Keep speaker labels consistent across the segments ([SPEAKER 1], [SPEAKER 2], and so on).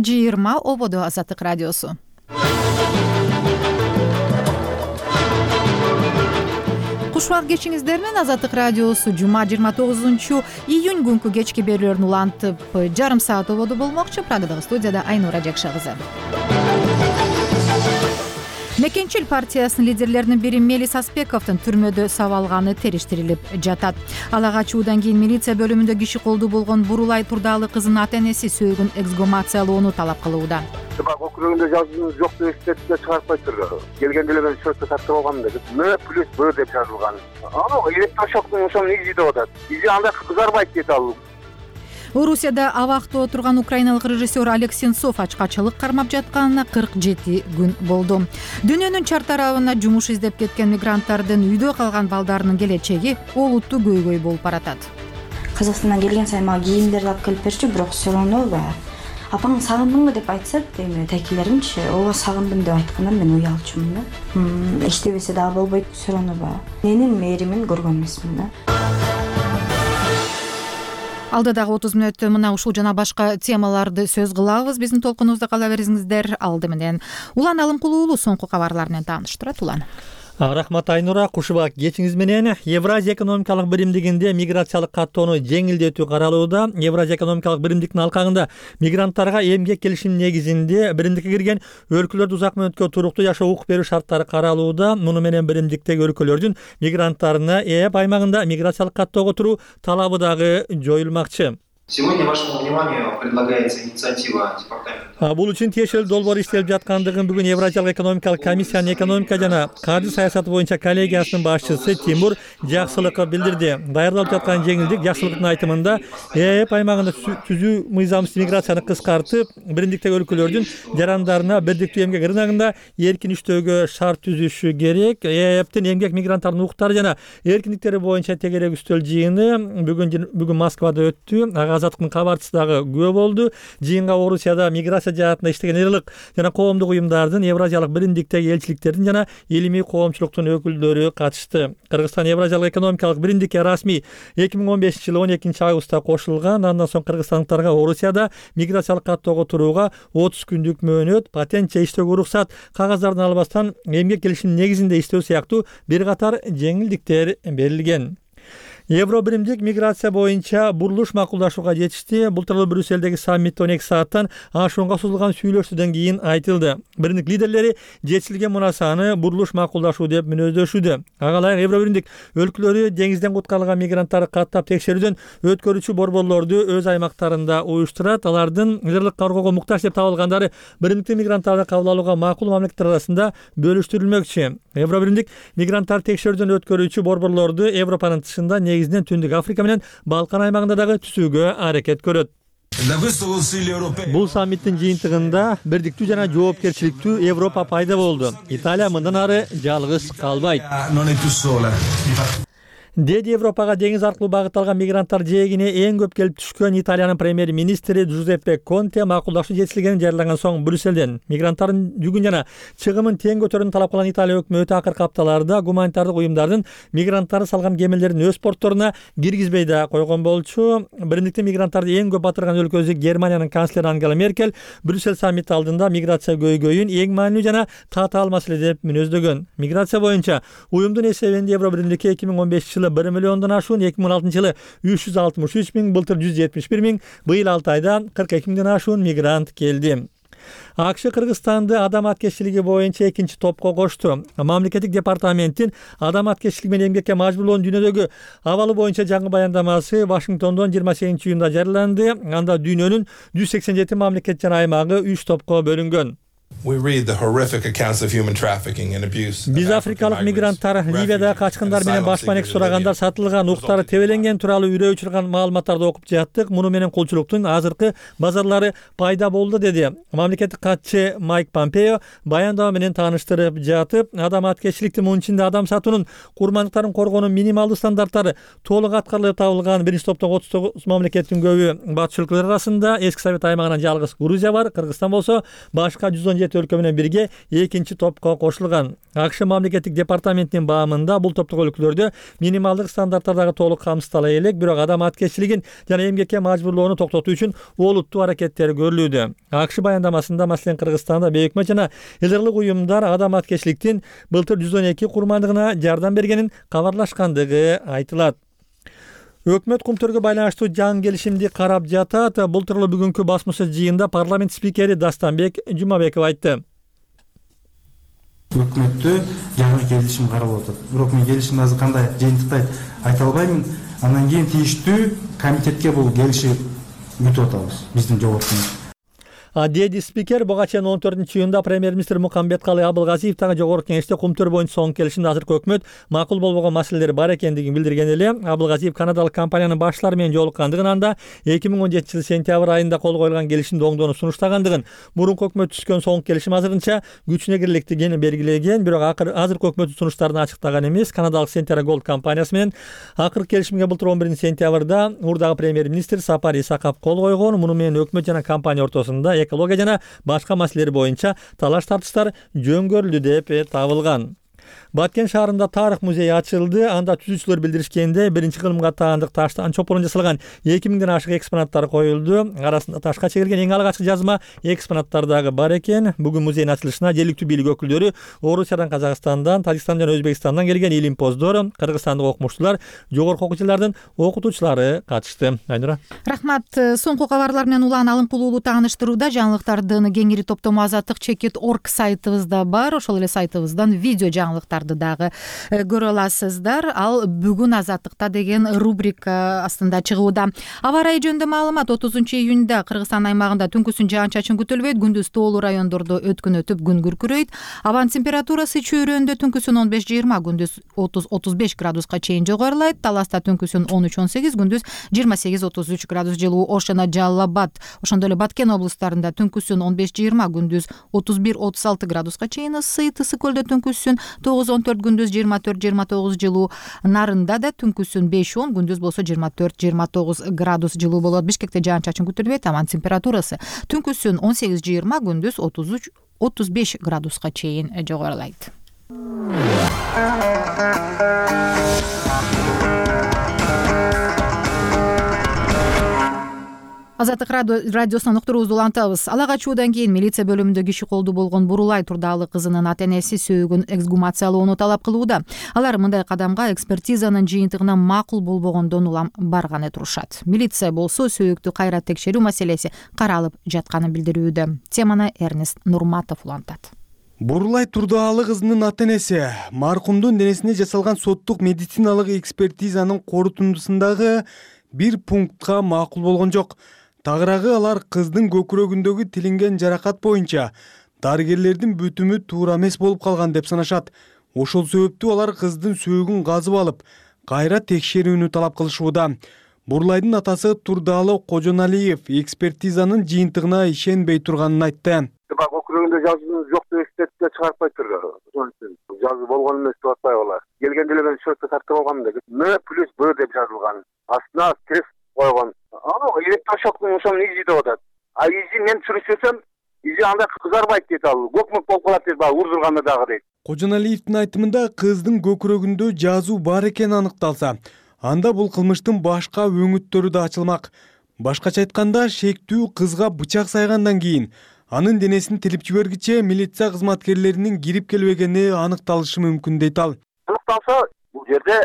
[SPEAKER 1] 20 ободо Азаттык радиосу. Кушубак кечиңиздер менен Азаттык радиосу жума 29-июнь күнкү кечки берүүлөрүн улантып жарым саат ободо болмокчу. Прагадагы студияда Айнура Жакша кызы. Мекенчил партиясынын лидерлеринин бири Мелис Аспековдун түрмөдө сабалганы териштирилип жатат. Ала качуудан кийин милиция бөлүмүндө киши колдуу болгон Бурулай Турдалы кызынын ата-энеси сөөгүн эксгумациялоону талап кылууда.
[SPEAKER 2] Округунда жазуу жок деп эстетип чыгарып койдур. Келгенде эле мен чөптө тартып алгам деп. М плюс Б деп жазылган. Электрошоктун ошонун изи деп атат. Изи андай кызарбайт дейт ал.
[SPEAKER 1] Орусияда абакта отурган украиналык режиссер Олег Сенцов ачкачылык кармап жатканына 47 күн болду. Дүйнөнүн чар тарабына жумуш издеп кеткен мигранттардын үйдө калган балдарынын келечеги олуттуу көйгөй болуп баратат.
[SPEAKER 3] Казакстандан келген сайын мага кийимдерди алып келип берчү, бирок все равно апаң сагындыңбы деп айтса, эми текилеримчи, ооба сагындым деп айтканда мен уялчумун да. Иштебесе дагы болбойт, все равно менин мээримин көргөн эмесмин да.
[SPEAKER 1] Алдыдагы 30 мүнөттө мына ушул жана башка темаларды сөз кылабыз. Биздин толкунубузда кала бериңиздер. Алды менен Улан Алымкулуу соңку кабарлар менен тааныштырат. Улан.
[SPEAKER 4] Рахмат Айнура. Кушубак кечиңиз менен Евразия экономикалык биримдигинде миграциялык каттоону жеңилдетүү каралууда. Евразия экономикалык биримдиктин алкагында мигранттарга эмгек келишим негизинде биримдикке кирген өлкөлөрдө узак мөөнөткө туруктуу жашоо укук берүү шарттары каралууда. Муну менен биримдиктеги өлкөлөрдүн мигранттарына ЭЭП аймагында миграциялык каттоого туруу талабы дагы жоюлмакчы.
[SPEAKER 5] Сегодня вашему вниманию предлагается инициатива департамента.
[SPEAKER 4] Бул үчүн тиешелүү долбоор иштелип жаткандыгын бүгүн Евразиялык экономикалык комиссиянын экономика жана каржы саясаты боюнча коллегиясынын башчысы Тимур Жаксылыков билдирди. Даярдалып жаткан жеңилдик Жаксылыктын айтымында ЭЭП аймагында түзүү мыйзамсыз миграцияны кыскартып, биримдиктеги өлкөлөрдүн жарандарына бирдиктүү эмгек рыногунда эркин иштөөгө шарт түзүшү керек. ЭЭПтин эмгек мигранттардын укуктары жана эркиндиктери боюнча тегерек үстөл жыйыны бүгүн Москвада өттү. Азаттыктын кабарчысы дагы күбө болду. Жыйынга Орусияда миграция жаатында иштеген элдик жана коомдук уюмдардын, Евразиялык биримдиктеги элчиликтердин жана илимий коомчулуктун өкүлдөрү катышты. Кыргызстан Евразиялык экономикалык биримдикке расмий 2015-жылы 12-августта кошулган. Андан соң кыргызстандыктарга Орусияда миграциялык каттоого турууга 30 күндүк мөөнөт, патент же иштөөгө уруксат, кагаздарын албастан эмгек келишим негизинде иштөө сыяктуу бир катар жеңилдиктер берилген. Евро биримдик миграция боюнча бурулуш макулдашууга жетишти. Бул тууралуу Брюсселдеги саммитте 12 сааттан ашуунга созулган сүйлөшүүдөн кийин айтылды. Биримдик лидерлери жетишилген мунасаны бурулуш макулдашуу деп мүнөздөшүүдө. Ага ылайык Евро биримдик өлкөлөрү деңизден куткарылган мигранттарды каттап текшерүүдөн өткөрүүчү борборлорду өз аймактарында уюштурат. Алардын ырлык кароого муктаж деп табылгандары биримдиктин мигранттарды кабыл алууга макул мамлекеттер арасында бөлүштүрүлмөкчү. Евро биримдик мигранттарды текшерүүдөн өткөрүүчү борборлорду Европанын тышында негизинен Түндүк Африка менен Балкан аймагында дагы түзүүгө аракет көрөт. Бул саммиттин жыйынтыгында бирдиктүү жана жоопкерчиликтүү Европа пайда болду. Италия мындан ары жалгыз калбайт. Деди Европага деңиз аркылуу багытталган мигранттар жээгине эң көп келип түшкөн Италиянын премьер-министри Джузеппе Конте макулдашуу жетишилгенин жарыялаган соң Брюсселден мигранттардын жүгүн жана чыгымын тең көтөрүүнү талап кылган Италия өкмөтү акыркы апталарда гуманитардык уюмдардын мигранттарды салган кемелерин өз портторуна киргизбей да койгон болчу. Биримдиктин мигранттарды эң көп батырган өлкөсү Германиянын канцлери Ангела Меркель Брюссель саммити алдында миграция көйгөйүн эң маанилүү жана татаал маселе деп мүнөздөгөн. Миграция боюнча уюмдун эсебинде Евро биримдикке 2015 1 миллиондон ашуун, 2016-жылы 363 миң, былтыр 171 миң, быйыл 6 айда 42 миңден ашуун мигрант келди. АКШ Кыргызстанды адам аткечилиги боюнча экинчи топко кошту. Мамлекеттик департаменттин адам аткечилиги менен эмгекке мажбурлоонун дүйнөдөгү абалы боюнча жаңы баяндамасы Вашингтондон 28-июнда жарыяланды. Анда дүйнөнүн 187 мамлекет жана аймагы 3 топко бөлүнгөн. Биз африкалык мигранттар Ливияда качкындар менен башпанек сурагандар сатылган, уктары тебеленген тууралуу үрөө учурган маалыматтарды окуп жаттык. Муну менен кулчулуктун азыркы базарлары пайда болду, деди мамлекеттик катчы Майк Помпео баяндама менен тааныштырып жатып. Адам аткечиликтин мунун ичинде адам сатуунун, курмандыктарын коргоонун минималдуу стандарттары толук аткарылып табылган биринчи топтон 39 мамлекеттин көбү батыш өлкөлөр арасында. Эски Совет аймагынан жалгыз Грузия бар. Кыргызстан болсо башка 117 жети өлкө менен бирге экинчи топко кошулган. АКШ мамлекеттик департаментинин баамында бул топтогу өлкөлөрдө минималдык стандарттардагы толук камсыздала элек, бирок адам аткезчилигин жана эмгекке мажбурлоону токтотуу үчүн олуттуу аракеттер көрүлүүдө. АКШ баяндамасында маселен Кыргызстанда бейөкмөт жана эл ырлык уюмдар адам аткезчиликтин былтыр 112 курмандыгына жардам бергенин кабарлашкандыгы айтылат. Өкмөт кумтөргө байланыштуу жаңы келишимди карап жатат. Бул тууралуу бүгүнкү басма сөз жыйынында парламент спикери Дастанбек Жумабеков айтты.
[SPEAKER 6] Өкмөттө жаңы келишим каралып атат. Бирок мен келишим азыр кандай жыйынтыкты айта албайм. Андан кийин тийиштүү комитетке бул келишип күтүп атабыз биздин жогорку.
[SPEAKER 4] Деди спикер буга чейин 14-июнда премьер-министр Мукамбеткалый Абылгазиев дагы жогорку кеңеште кумтөр боюнча соңку келишимде азыркы өкмөт макул болбогон маселелер бар экендигин билдирген эле. Абылгазиев канадалык компаниянын баштаары менен жолуккандыгын, анда 2017 сентябрь айында кол коюлган келишимди оңдоону сунуштагандыгын, мурунку өкмөт түзгөн соңку келишим азырынча күчүнө кирилектигин белгилеген. Бирок азыркы өкмөттүн сунуштарын ачыктаган эмес. Канадалык Centera Gold компаниясы менен акыркы келишимге былтыр 11-сентябрда урдагы премьер-министр Сапар Исаков кол койгон. Муну менен өкмөт жана компания ортосунда экология жана башка маселелер боюнча талаш-тартыштар жөнгөрүлдү деп табылган. Баткен шаарында тарых музейи ачылды. Анда түзүүчүлөр билдиришкенде биринчи кылымга таандык таштан чопурун жасалган 2000ден ашык экспонаттар коюлду. Арасында ташка чегилген эң алгачкы жазма экспонаттар дагы бар экен. Бүгүн музейдин ачылышына жергиликтүү бийлик өкүлдөрү, Орусиядан, Казакстандан, Тажикстандан жана Өзбекстандан келген илимпоздор, кыргызстандык окумуштуулар, жогорку окуу жылдардын окутуучулары катышты. Айнура.
[SPEAKER 1] Рахмат. Соңку кабарлар менен улан алымкулуулу тааныштырууда жаңылыктардын кеңири топтому Азаттык.org сайтыбызда бар. Ошол эле сайтыбыздан видео жаңылыктарды дагы көрө аласыздар. Ал бүгүн Азаттыкта деген рубрика астында чыгууда. Аба ырайы жөнүндө маалымат: 30-июнда Кыргызстан аймагында түнкүсүн жаан-чачын күтүлбөйт, күндүз тоолуу райондордо өткөн өтүп күн күркүрөйт. Абанын температурасы чөйрөндө түнкүсүн 15-20, күндүз 30-35 градуска чейин жогорулайт. Таласта түнкүсүн 13-18, күндүз 28-33 градус жылуу. Ош жана Жалал Абад, ошондой эле Баткен облустарында түнкүсүн 15-20, күндүз 31-36 градуска чейин ысыйт. Ысык көлдө түнкүсүн 9-14, күндүз 24-29 жылуу. Нарында да түнкүсүн 5-10, күндүз болсо 24-29 градус жылуу болот. Бишкекте жаан-чачын күтүлбөйт. Абанын температурасы түнкүсүн 18-20, күндүз 33-35 градуска чейин жогорулайт. Азаттык радиосунан уктуруубузду улантабыз. Ала качуудан кийин милиция бөлүмүндө киши колду болгон Бурулай Турдаалы кызынын ата-энеси сөөгүн эксгумациялоону талап кылууда. Алар мындай кадамга экспертизанын жыйынтыгына макул болбогондон улам барганы турушат. Милиция болсо сөөктү кайра текшерүү маселеси каралып жатканын билдирүүдө. Теманы Эрнест Нурматов улантат.
[SPEAKER 7] Бурулай Турдаалы кызынын ата-энеси маркумдун денесине жасалган соттук медициналык экспертизанын корутундусундагы бир пунктка макул болгон жок. Тагыраагы алар кыздын көкүрөгүндөгү тилинген жаракат боюнча дарыгерлердин бүтүмү туура эмес болуп калган деп санашат. Ошол себептүү алар кыздын сөөгүн казып алып, кайра текшерүүнү талап кылышууда. Бурулайдын атасы Турдаалы Кожоналиев экспертизанын жыйынтыгына ишенбей турганын айтты.
[SPEAKER 2] Көкүрөгүндө жазуу жок деп экспертиза чыгарып кайтты. Ошон үчүн жазуу болгон эмес деп атпайбы? Келгенде эле мен счетто тартып алгам деп. Н+Б деп жазылган. Астына крест койгон. Электрошоктун ошонун изи деп атат. А изи мен сүрүшсөм, изи анда кызарбайт дейт ал. Көкмөк болуп калат дейт, урдурганда дагы дейт.
[SPEAKER 7] Кожоналиевдин айтымында кыздын көкүрөгүндө жазуу бар экени аныкталса, анда бул кылмыштын башка өңүттөрү да ачылмак. Башкача айтканда, шектүү кызга бычак сайгандан кийин анын денесин тилип жибергиче милиция кызматкерлеринин кирип келбегени аныкталышы мүмкүн дейт ал.
[SPEAKER 2] Аныкталса, бул жерде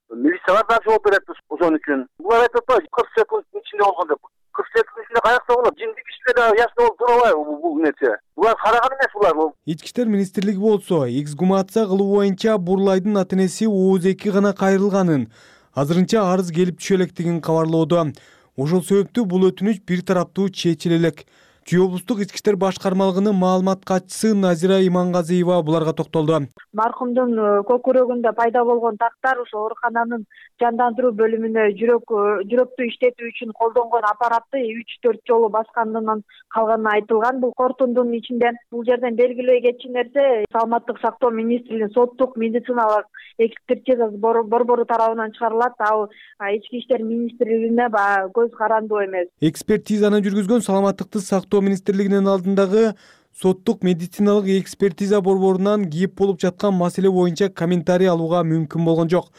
[SPEAKER 2] милициялар да жооп берет ошон үчүн. Булар айтып атпайбы, 40 секундтун ичинде болгон деп. 40 секундтун ичинде каякта болот? Жинди кишиде да яшны болуп турабайбы бул нерсе? Булар караган эмес булар.
[SPEAKER 7] Ички иштер министрлиги болсо, эксгумация кылуу боюнча Бурулайдын ата-энеси ооз-2 гана кайрылганын, азырынча арыз келип түшө электигин кабарлоодо. Ошол себептүү бул өтүнүч бир тараптуу чечиле элек. Чүй облустук ички иштер башкармалыгынын маалымат катчысы Назира Имангазиева буларга токтолду.
[SPEAKER 8] Маркумдун көкүрөгүндө пайда болгон тактар ошо оорукананын жандандыруу бөлүмүнө жүрөктү иштетүү үчүн колдонгон аппаратты 3-4 жолу басканынан калганы айтылган. Бул корутундун ичинде бул жерден белгилей кетчү нерсе, саламаттык сактоо министрлигинин соттук медициналык экспертизасы борбору тарабынан чыгарылат. Ал ички иштер министрлигине көз карандуу эмес.
[SPEAKER 7] Экспертизаны жүргүзгөн саламаттыкты сактоо министрлигинин алдындагы соттук медициналык экспертиза борборунан кеп болуп жаткан маселе боюнча комментарий алууга мүмкүн болгон жок.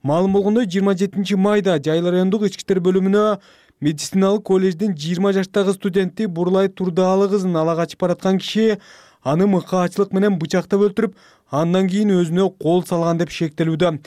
[SPEAKER 7] Маалым болгондой 27 майда Жайыл райондук ички иштер бөлүмүнө медициналык колледждин 20 жаштагы студенти Бурлай Турдаалы кызын ала качып бараткан киши аны мыкаачылык менен бычактап өлтүрүп, андан кийин өзүнө кол салган деп шектелүүдө.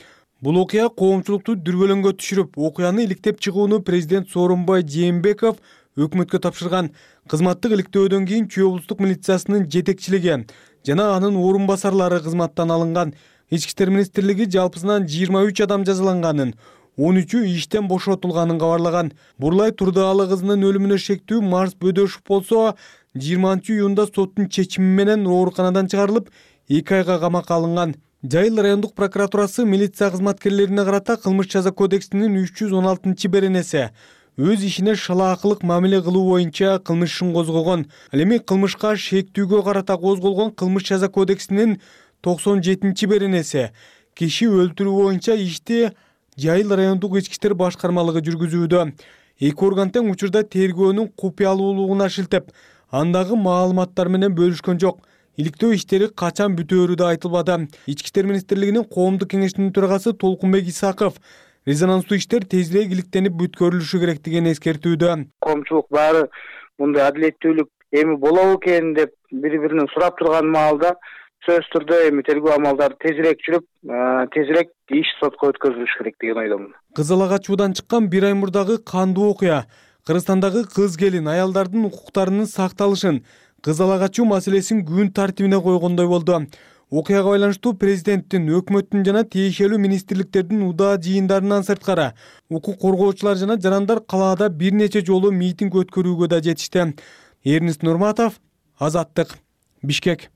[SPEAKER 7] Бул окуя коомчулукту дүрбөлөңгө түшүрүп, окуяны иликтеп чыгууну президент Сооронбай Жээнбеков өкмөткө тапшырган. Кызматтык иликтөөдөн кийин Чүй облустук милициясынын жетекчилиги жана анын орун басарлары кызматтан алынган. Ички иштер министрлиги жалпысынан 23 адам жазаланганын, 13-ü иштен бошотулганын кабарлаган. Бурлай Турдаалы кызынын өлүмүнө шектүү Марс Бөдөшов болсо, 20-июнда соттун чечими менен ооруканадан чыгарылып, 2 айга камакка алынган. Жайыл райондук прокуратурасы милиция кызматкерлерине карата кылмыш жаза кодексинин 316-беренеси өз ишине шалаакылык мамиле кылуу боюнча кылмыш ишин козгогон. Ал эми кылмышка шектүүгө карата козголгон кылмыш жаза кодексинин 97-беренеси киши өлтүрүү боюнча ишти Жайыл райондук ички иштер башкармалыгы жүргүзүүдө. Эки орган тең учурда тергөөнүн купуялуулугуна шилтеп, андагы маалыматтар менен бөлүшкөн жок. Иликтөө иштери качан бүтөөрү да айтылбады. Ички иштер министрлигинин коомдук кеңешинин төрагасы Толкунбек Исаков резонанстуу иштер тезирээк иликтенип бүткөрүлүшү керектигин эскертүүдө.
[SPEAKER 9] Коомчулук баары мындай адилеттүүлүк эми болобу экен деп бири-биринен сурап турган маалда сөзсүз түрдө эми тергөө амалдары тезирээк жүрүп, тезирээк иш сотко өткөрүлүш керек деген ойдомун.
[SPEAKER 7] Кыз ала качуудан чыккан бир ай мурдагы кандуу окуя, Кыргызстандагы кыз келин аялдардын укуктарынын сакталышын, кыз ала качуу маселесин күн тартибине койгондой болду. Окуяга байланыштуу президенттин, өкмөттүн жана тиешелүү министрликтердин удаа жыйындарынан сырткары укук коргоочулар жана жарандар калаада бир нече жолу митинг өткөрүүгө да жетишти. Эрнест Нурматов, Азаттык, Бишкек.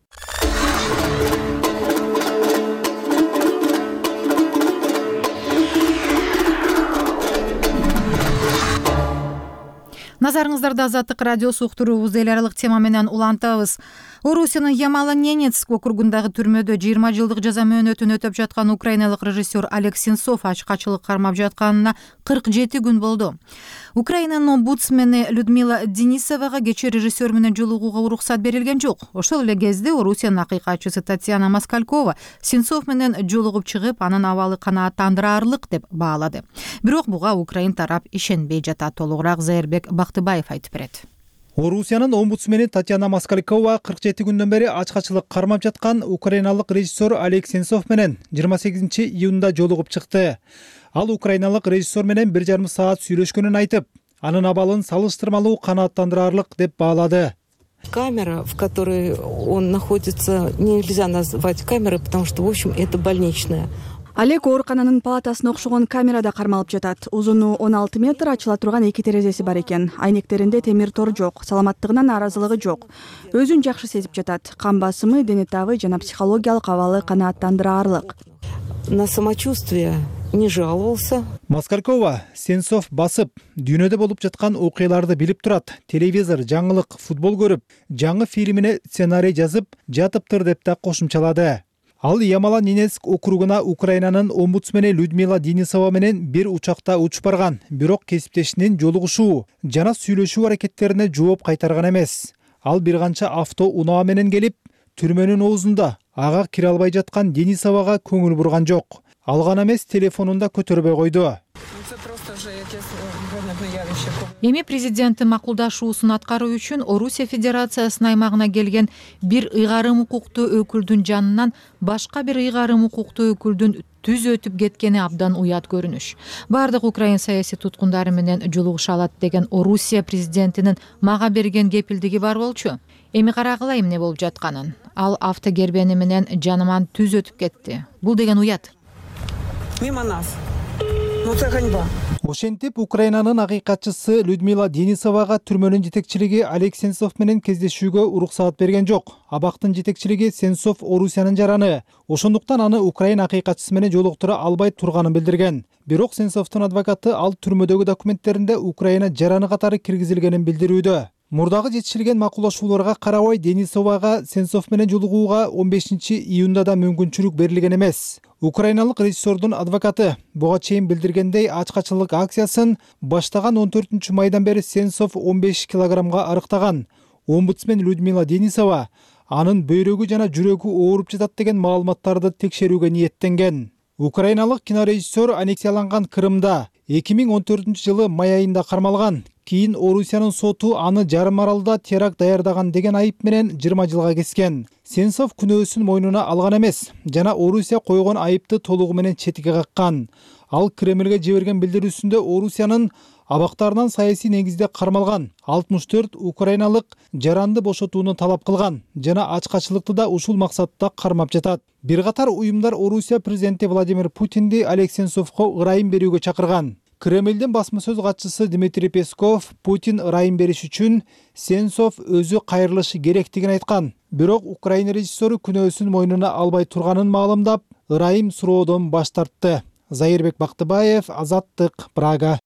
[SPEAKER 1] Назарыңыздарда Азаттык радиосу уктуруубуз эл аралык тема менен улантабыз. Орусиянын Ямало-Ненецк округундагы түрмөдө 20 жылдык жаза мөөнөтүн өтөп жаткан украиналык режиссер Олег Сенцов ачкачылык кармап жатканына 47 күн болду. Украинанын омбудсмени Людмила Денисовага кечээ режиссер менен жолугууга уруксат берилген жок. Ошол эле кезде Орусиянын акыйкатчысы Татьяна Москалькова Сенцов менен жолугуп чыгып, анын абалы канааттандыраарлык деп баалады. Бирок буга Украин тарап ишенбей жатат. Толугураак Зайырбек Бактыбаев айтып берет.
[SPEAKER 10] Орусиянын омбудсмени Татьяна Москалькова 47 күндөн бери ачкачылык кармап жаткан украиналык режиссер Олег Сенцов менен 28 июнда жолугуп чыкты. Ал украиналык режиссер менен 1,5 саат сүйлөшкөнүн айтып, анын абалын салыштырмалуу канааттандыраарлык деп баалады.
[SPEAKER 11] Камера, в которой он находится, нельзя назвать камерой, потому что, в общем, это больничная.
[SPEAKER 12] Олег оорукананын палатасына окшогон камерада кармалып жатат. Узуну 16 метр, ачыла турган 2 терезеси бар экен. Айнектеринде темир тор жок, саламаттыгынан нааразылыгы жок. Өзүн жакшы сезип жатат. Кан басымы, дене табы жана психологиялык абалы канааттандыраарлык.
[SPEAKER 11] На самочувствие не жаловался.
[SPEAKER 10] Москалькова Сенцов басып, дүйнөдө болуп жаткан окуяларды билип турат. Телевизор, жаңылык, футбол көрүп, жаңы фильмине сценарий жазып жатыптыр деп да кошумчалады. Ал Ямало-Ненецк округуна Украинанын омбудсмени Людмила Денисова менен бир учакта учуп барган, бирок кесиптешинин жолугушуу жана сүйлөшүү аракеттерине жооп кайтарган эмес. Ал бир канча авто унаа менен келип, түрмөнүн оозунда ага кире албай жаткан Денисовага көңүл бурган жок. Ал гана эмес, телефонун да көтөрбөй койду.
[SPEAKER 1] Эми президенттин макулдашуусун аткаруу үчүн Орусия Федерациясынын аймагына келген бир ыйгарым укуктуу өкүлдүн жанынан башка бир ыйгарым укуктуу өкүлдүн түз өтүп кеткени абдан уят көрүнүш. Бардык украин саясий туткундары менен жолугуша алат деген Орусия президентинин мага берген кепилдиги бар болчу. Эми карагыла эмне болуп жатканын. Ал автогербени менен жаныман түз өтүп кетти. Бул деген уят.
[SPEAKER 11] Мимо нас. Ну это ганьба.
[SPEAKER 10] Ошентип, Украинанын акыйкатчысы Людмила Денисовага түрмөнүн жетекчилиги Олег Сенцов менен кездешүүгө уруксаат берген жок. Абактын жетекчилиги Сенцов Орусиянын жараны. Ошондуктан аны Украин акыйкатчысы менен жолуктура албай турганын билдирген. Бирок Сенцовдун адвокаты ал түрмөдөгү документтеринде Украина жараны катары киргизилгенин билдирүүдө. Мурдагы жетишилген макулдашууларга карабай Денисовага Сенцов менен жолугууга 15 июнда да мүмкүнчүлүк берилген эмес. Украиналык режиссердун адвокаты буга чейин билдиргендей, ачкачылык акциясын баштаган 14 майдан бери Сенцов 15 килограммга арыктаган. омбудсмен Людмила Денисова анын бөйрөгү жана жүрөгү ооруп жатат деген маалыматтарды текшерүүгө ниеттенген. Украиналык кинорежиссер аннексияланган Крымда 2014-жылы май айында кармалган. Кийин Орусиянын соту аны жарым аралда теракт даярдаган деген айып менен 20 жылга кескен. Сенцов күнөөсүн мойнуна алган эмес жана Орусия койгон айыпты толугу менен четиге каккан. Ал Кремлге жиберген билдирүүсүндө Орусиянын абактарынан саясий негизде кармалган 64 украиналык жаранды бошотууну талап кылган жана ачкачылыкты да ушул максатта кармап жатат. Бир катар уюмдар Орусия президенти Владимир Путинди Олег Сенцовго ырайым берүүгө чакырган. Кремлдин басма сөз катчысы Дмитрий Песков Путин ырайым бериш үчүн Сенцов өзү кайрылышы керектигин айткан. Бирок Украина режиссеру күнөөсүн мойнуна албай турганын маалымдап, ырайым суроодон баш тартты. Зайырбек Бактыбаев, Азаттык, Прага.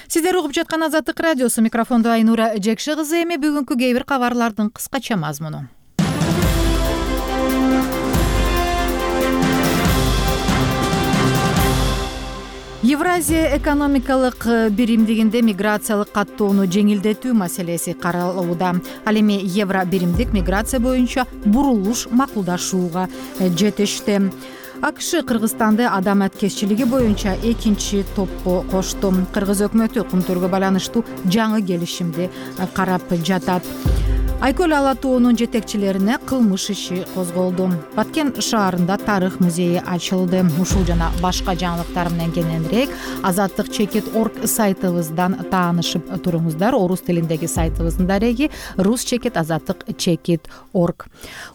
[SPEAKER 1] Сиздер угуп жаткан Азаттык радиосу, микрофондо Айнура Жекши кызы. Эми бүгүнкү кээ бир кабарлардын кыскача мазмуну. Евразия экономикалык биримдигинде миграциялык каттоону жеңилдетүү маселеси каралууда. Ал эми евро биримдик миграция боюнча бурулуш макулдашууга жетишти. АКШ Кыргызстанды адам аткезчилиги боюнча экинчи топко кошту. Кыргыз өкмөтү кумтөргө байланыштуу жаңы келишимди карап жатат. Айкөл ала тоонун жетекчилерине кылмыш иши козголду. Баткен шаарында тарых музейи ачылды. Ушул жана башка жаңылыктар менен кененирээк azattik.org сайтыбыздан таанышып туруңуздар. Орус тилиндеги сайтыбыздын дареги rus.azattik.org.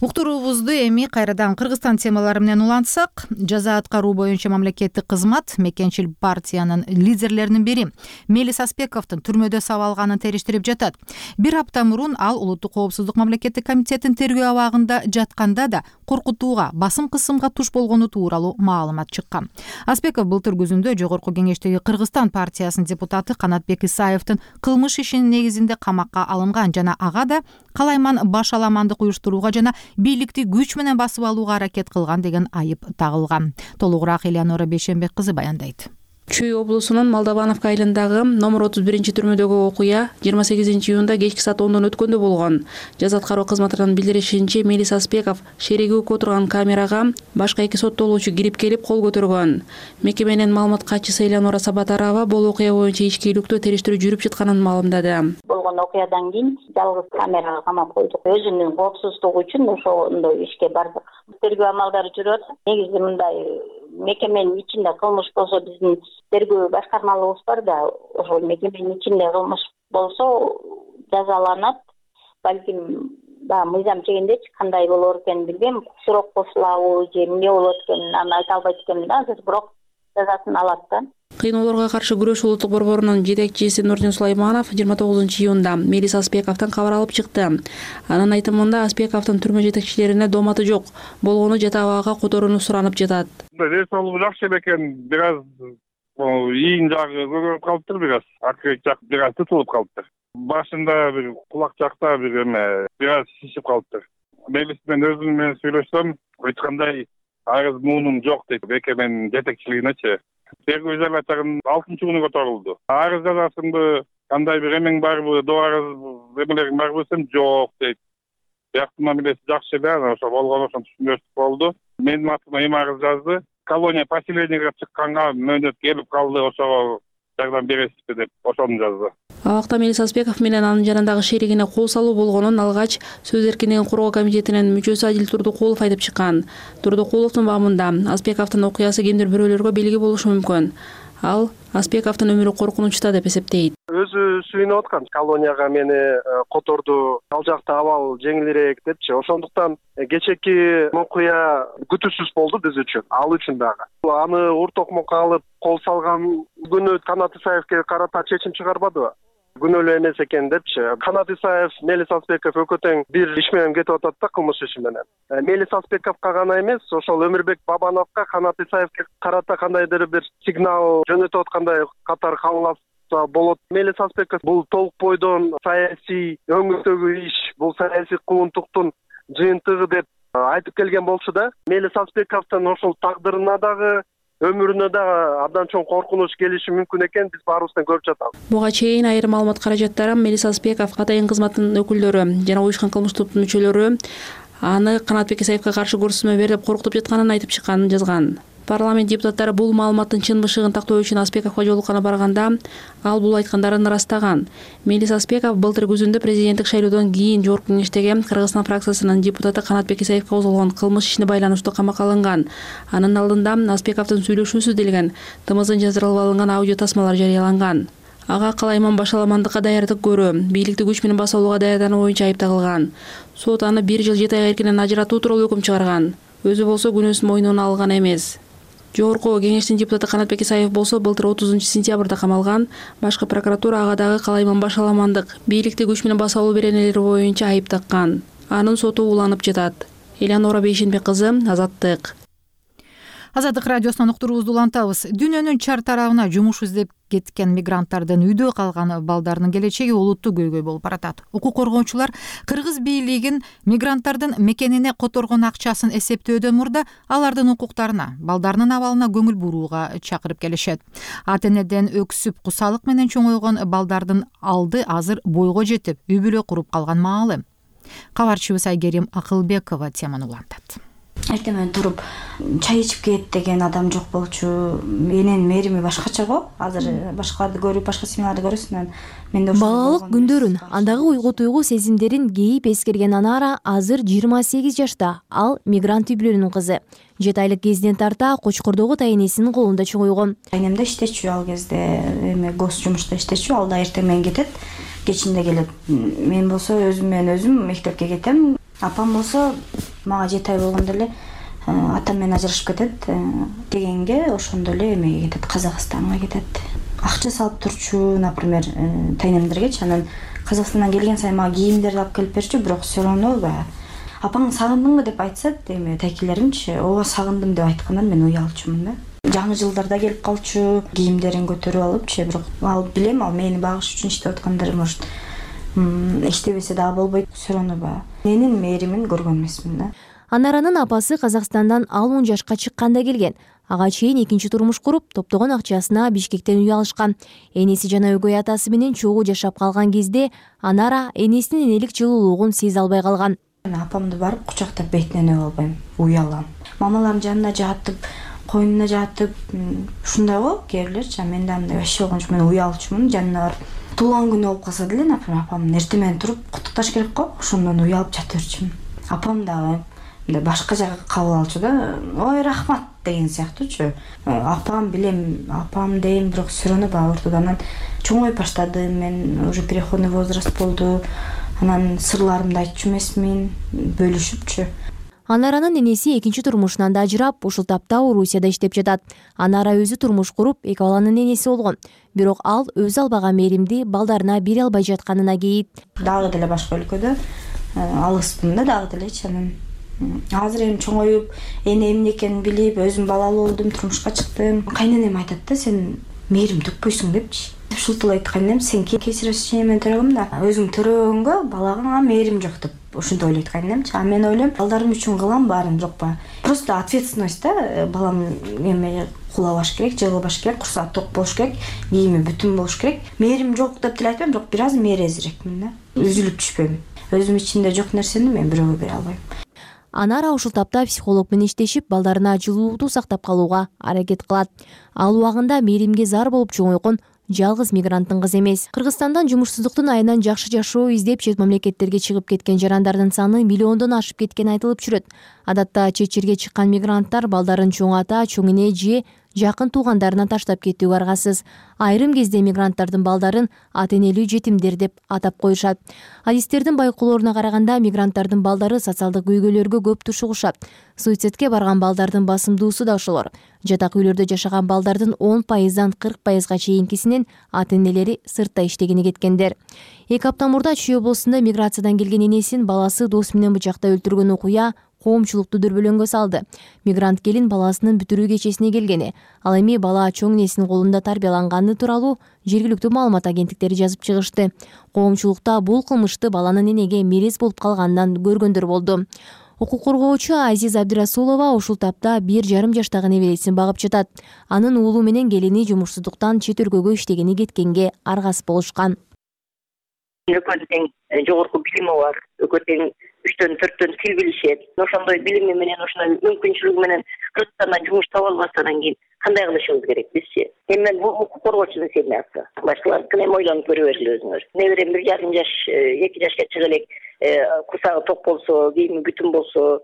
[SPEAKER 1] Уктуруубузду эми кайрадан Кыргызстан темалары менен улантсак, жаза аткаруу боюнча мамлекеттик кызмат мекенчил партиянын лидерлеринин бири Мелис Аспековдун түрмөдө сабалганын териштирип жатат. Бир апта мурун ал улуттук коопсуздук мамлекеттик комитетин тергөө абагында жатканда да коркутууга, басым кысымга туш болгону тууралуу маалымат чыккан. Аспеков былтыр күзүндө Жогорку Кеңештеги Кыргызстан партиясынын депутаты Канатбек Исаевдин кылмыш ишинин негизинде камакка алынган жана ага да калайман баш аламандык уюштурууга жана бийликти күч менен басып алууга аракет кылган деген айып тагылган. Толугураак Элеонора Бейшенбек кызы баяндайт.
[SPEAKER 13] Чүй облусунун Молдовановка айылындагы номер 31 түрмөдөгү окуя 28 июнда кечки саат 10 өткөндө болгон. Жаза аткаруу кызматынын билдиришинче, Мелис Аспеков шеригүүгө отурган камерага башка эки соттолуучу кирип келип кол көтөргөн. Мекеменин маалымат катчысы Элеонора Сабатарова бул окуя боюнча ишкейликтүү териштирүү жүрүп жатканын маалымдады.
[SPEAKER 14] Болгон окуядан кийин жалгыз камерага камап койдук. Өзүнүн коопсуздугу үчүн ошондой ишке бардык. Тергөө амалдары жүрүп атат. Негизи мындай мекеменин ичинде кылмыш болсо биздин тергөө башкармалыгыбыз бар да, ошол мекеменин ичинде кылмыш болсо жазаланат. Балким мыйзам чегиндечи кандай болор экенин билбейм. Сурок кошулабы же эмне болот экенин аны айта албайт экенмин да, азыр бирок жазасын алат да.
[SPEAKER 13] Кыйноолорго каршы күрөш улуттук борборунун жетекчиси Нурдин Сулайманов 29 июнда Мелис Аспековдон кабар алып чыкты. Анын айтымында Аспековдун түрмө жетекчилерине дооматы жок, болгону жата абагга которууну суранып жатат.
[SPEAKER 15] Рейс алуу жакшы экен, бир аз ийин жагы көбөйүп калыптыр, бир аз аркы жак бир аз тутулуп калыптыр. Башында бир кулак жакта бир аз шишип калыптыр. Мелис менен өзүм менен сүйлөшсөм, айткандай арыз муунум жок дейт мекеменин жетекчилигинечи. Тергөө изоляторунун 6-күнү которулду. Арыз жазасыңбы, кандай бир эмең барбы, арыз эмелериң барбы десем, жок дейт. Бияктын мамилеси жакшы эле, ошо болгону ошон түшүнүштүк болду. Менин атыма эми арыз жазды. Колония поселенияга чыкканга мөөнөт келип калды, ошого жардам бересизби деп ошону жазды.
[SPEAKER 13] Абакта Мелис Аспеков менен анын жанындагы шеригине кол салуу болгонун алгач Сөз эркиндигин коргоо комитетинин мүчөсү Адил Турдукулов айтып чыккан. Турдукуловдун баамында Аспековдун окуясы кимдир бирөөлөргө белги болушу мүмкүн. Ал Аспековдун өмүрү коркунучта деп эсептейт.
[SPEAKER 16] Өзү сүйүнүп аткан, колонияга мени которду, ал жакта абал жеңилирээк депчи. Ошондуктан кечээки окуя күтүүсүз болду биз үчүн, ал үчүн дагы. Аны ур-токмокко алып кол салган күнү Канат Исаевге карата чечим чыгарбадыбы? Күнөөлүү эмес экен депчи. Канат Исаев, Мелис Аспеков экөө тең бир иш менен кетип атат да, кылмыш иши менен. Мелис Аспековго гана эмес, ошол Өмүрбек Бабановго, Канат Исаевге карата кандайдыр бир сигнал жөнөтүп аткандай катар кабылса болот. Мелис Аспеков бул толук бойдон саясий өңүрдөгү иш, бул саясий куугунтуктун жыйынтыгы деп айтып келген болчу да. Мелис Аспековдун ошол тагдырына дагы өмүрүнө дагы абдан чоң коркунуч келиши мүмкүн экенин биз баарыбыздан көрүп жатабыз.
[SPEAKER 13] Буга чейин айрым маалымат каражаттары Мелиса Аспеков, атайын кызматтын өкүлдөрү жана уюшкан кылмыш топтун мүчөлөрү аны Канатбек Исаевге каршы көрсөтмө бер деп коркутуп жатканын айтып чыкканын жазган. Парламент депутаттары бул маалыматтын чын бышыгын тактоо үчүн Аспековго жолукканы барганда ал бул айткандарын ырастаган. Мелиса Аспеков былтыр күзүндө президенттик шайлоодон кийин Жогорку Кеңештеги Кыргызстан фракциясынын депутаты Канатбек Исаевге козголгон кылмыш ишине байланыштуу камакка алынган. Анын алдында Аспековдун сүйлөшүүсү делген ТМЗдын жаздырылып алынган аудио тасмалар жарыяланган. Ага калайман башаламандыкка даярдык көрүү, бийликти күч менен баса алууга даярдануу боюнча айып тагылган. Сот аны 1 жыл 7 ай эркинен ажыратуу тууралуу өкүм чыгарган. Өзү болсо күнөөсүн мойнуна алган эмес. Жогорку Кеңештин депутаты Канатбек Исаев болсо былтыр 30-сентябрда камалган. Башкы прокуратура ага дагы калайман башаламандык, бийликти күч менен баса алуу беренелери боюнча айып таккан. Анын соту уланып жатат. Элеонора Бейшенбек кызы, Азаттык.
[SPEAKER 1] Азаттык радиосунан уктуруубузду улантабыз. Дүйнөнүн чар тарабына жумуш издеп кеткен мигранттардын үйдө калган балдарынын келечеги олуттуу көйгөй болуп баратат. Укук коргоочулар кыргыз бийлигин мигранттардын мекенине которгон акчасын эсептөөдөн мурда алардын укуктарына, балдарынын абалына көңүл бурууга чакырып келишет. Ата энеден өксүп кусалык менен чоңойгон балдардын алды азыр бойго жетип, үй бүлө куруп калган маалы. Кабарчыбыз Айгерим Акылбекова теманы улантат.
[SPEAKER 3] Эртең туруп чай ичип кет деген адам жок болчу. Менин мээрими башкача го. Азыр башкаларды көрүп, башка семьяларды көрөсүн. Менде
[SPEAKER 17] балалык күндөрүн, андагы уйгу-туйгу сезимдерин кейип эскерген Анара азыр 28 жашта. Ал мигрант үй бүлөнүн кызы. 7 айлык кезинен тарта Кочкордогу тайнесинин колунда чоңойгон.
[SPEAKER 3] Айнемде иштечү ал кезде, гос жумушта иштечү. Ал да эртең менен кетет, кечинде келет. Мен болсо өзүм менен өзүм мектепке кетем. Апам болсо мага 7 ай болгондо эле атам менен ажырашып кетет дегенге, ошондо эле эмеге кетет, Казакстанга кетет. Акча салып турчу, например, тайнемдергечи. Анан Казакстандан келген сайын мага кийимдерди алып келип берчү, бирок все равно апаң сагындыңбы деп айтса, тайкелеримчи, ооба сагындым деп айткандан мен уялчумун да. Жаңы жылдарда келип калчу, кийимдерин көтөрүп алыпчы, бирок ал билем, ал мени багыш үчүн иштеп аткандар, может иштебесе дагы болбойт, все равно менин мээримин көргөн эмесмин да.
[SPEAKER 17] Анаранын апасы Казакстандан ал 10 жашка чыкканда келген. Ага чейин экинчи турмуш куруп, топтогон акчасына Бишкектен үй алышкан. Энеси жана өгөй атасы менен чогуу жашап калган кезде Анара энесинин энелик жылуулугун сезе албай калган.
[SPEAKER 3] Апамды барып кучактап бетинен өп албайм, уялам. Мамаларым жанына жатып, койнуна жатып, ушундай го кээ бирлерчи. Мен да андай вообще болгон жок, мен уялчумун. Жанына барып туулган күнү болуп калса деле, например, апамдын эртең менен туруп куттукташ керек го, ошондон уялып жата берчүмүн. Апам дагы башка жака кабыл алчу да, ой рахмат деген сыяктуучу. Апам билем, апам дейм, бирок все равно ортодо анан чоңоюп баштадым, мен уже переходный возраст болду. Анан сырларымды айтчу эмесмин, бөлүшүпчү.
[SPEAKER 17] Анаранын энеси экинчи турмушунан да ажырап, ушул тапта Орусияда иштеп жатат. Анара өзү турмуш куруп, 2 баланын энеси болгон. Бирок ал өзү албаган мээримди балдарына бере албай жатканына кейит.
[SPEAKER 3] Дагы деле башка өлкөдө алыспын да, дагы делечи. Анан азыр эми чоңоюп, эне эмне экенин билип, өзүм балалуу болдум, турмушка чыктым. Кайненем айтат да, сен мээрим төкпөйсүң депчи. Ушултул айтты кайненем, сен кесирешчи мен төрөгөм да, өзүң төрөгөнгө балага мээрим жок деп. Ушундай ойлойт кайненемчи. А мен ойлойм, балдарым үчүн кылам баарын, бирок просто ответственность да, балам эме кулабаш керек, жыгылбаш керек, курсагы ток болуш керек, кийими бүтүн болуш керек. Мээрим жок деп деле айтпайм, бирок бир аз мээрезирекмин да. Үзүлүп түшпөйм. Өзүм ичинде жок нерсени мен бирөөгө бере албайм.
[SPEAKER 17] Анара ушул тапта психолог менен иштешип, балдарына жылуулукту сактап калууга аракет кылат. Ал убагында мээримге зар болуп чоңойгон жалгыз мигранттын кызы эмес. Кыргызстандан жумушсуздуктун айынан жакшы жашоо издеп чет мамлекеттерге чыгып кеткен жарандардын саны миллиондон ашып кеткени айтылып жүрөт. Адатта чет жерге чыккан мигранттар балдарын чоң ата, чоң эне же жакын туугандарына таштап кетүүгө аргасыз. Айрым кезде мигранттардын балдарын ата энелүү жетимдер деп атап коюшат. Адистердин байкоолоруна караганда мигранттардын балдары социалдык көйгөйлөргө көп тушугушат. Суицидке барган балдардын басымдуусу да ошолор. Жатак үйлөрдө жашаган балдардын 10%дан 40%га чейинкисинин ата энелери сыртта иштегени кеткендер. 2 апта мурда Чүй облусунда миграциядан келген энесин баласы досу менен бычактай өлтүргөн окуя коомчулукту дүрбөлөңгө салды. Мигрант келин баласынын бүтүрүү кечесине келгени, ал эми бала чоң энесинин колунда тарбияланганы тууралуу жергиликтүү маалымат агенттиктери жазып чыгышты. Коомчулукта бул кылмышты баланын энеге мерез болуп калганынан көргөндөр болду. Укук коргоочу Азиз Абдирасулова ушул тапта 1,5 жаштагы небересин багып жатат. Анын уулу менен келини жумушсуздуктан чет өлкөгө иштегени кеткенге аргас болушкан.
[SPEAKER 14] Экөө тең жогорку билими бар, экөө тең 3-4 тил билишет. Ошондой билими менен, ошондой мүмкүнчүлүгү менен Кыргызстандан жумуш таба албастан кийин кандай кылышыбыз керек бизчи? Эми мен бул укук коргоочунун семьясы. Башкалардыкын эми ойлонуп көрө бергиле өзүңөр. Неберем 1,5 жаш, 2 жашка чыга элек, курсагы ток болсо, кийими бүтүн болсо,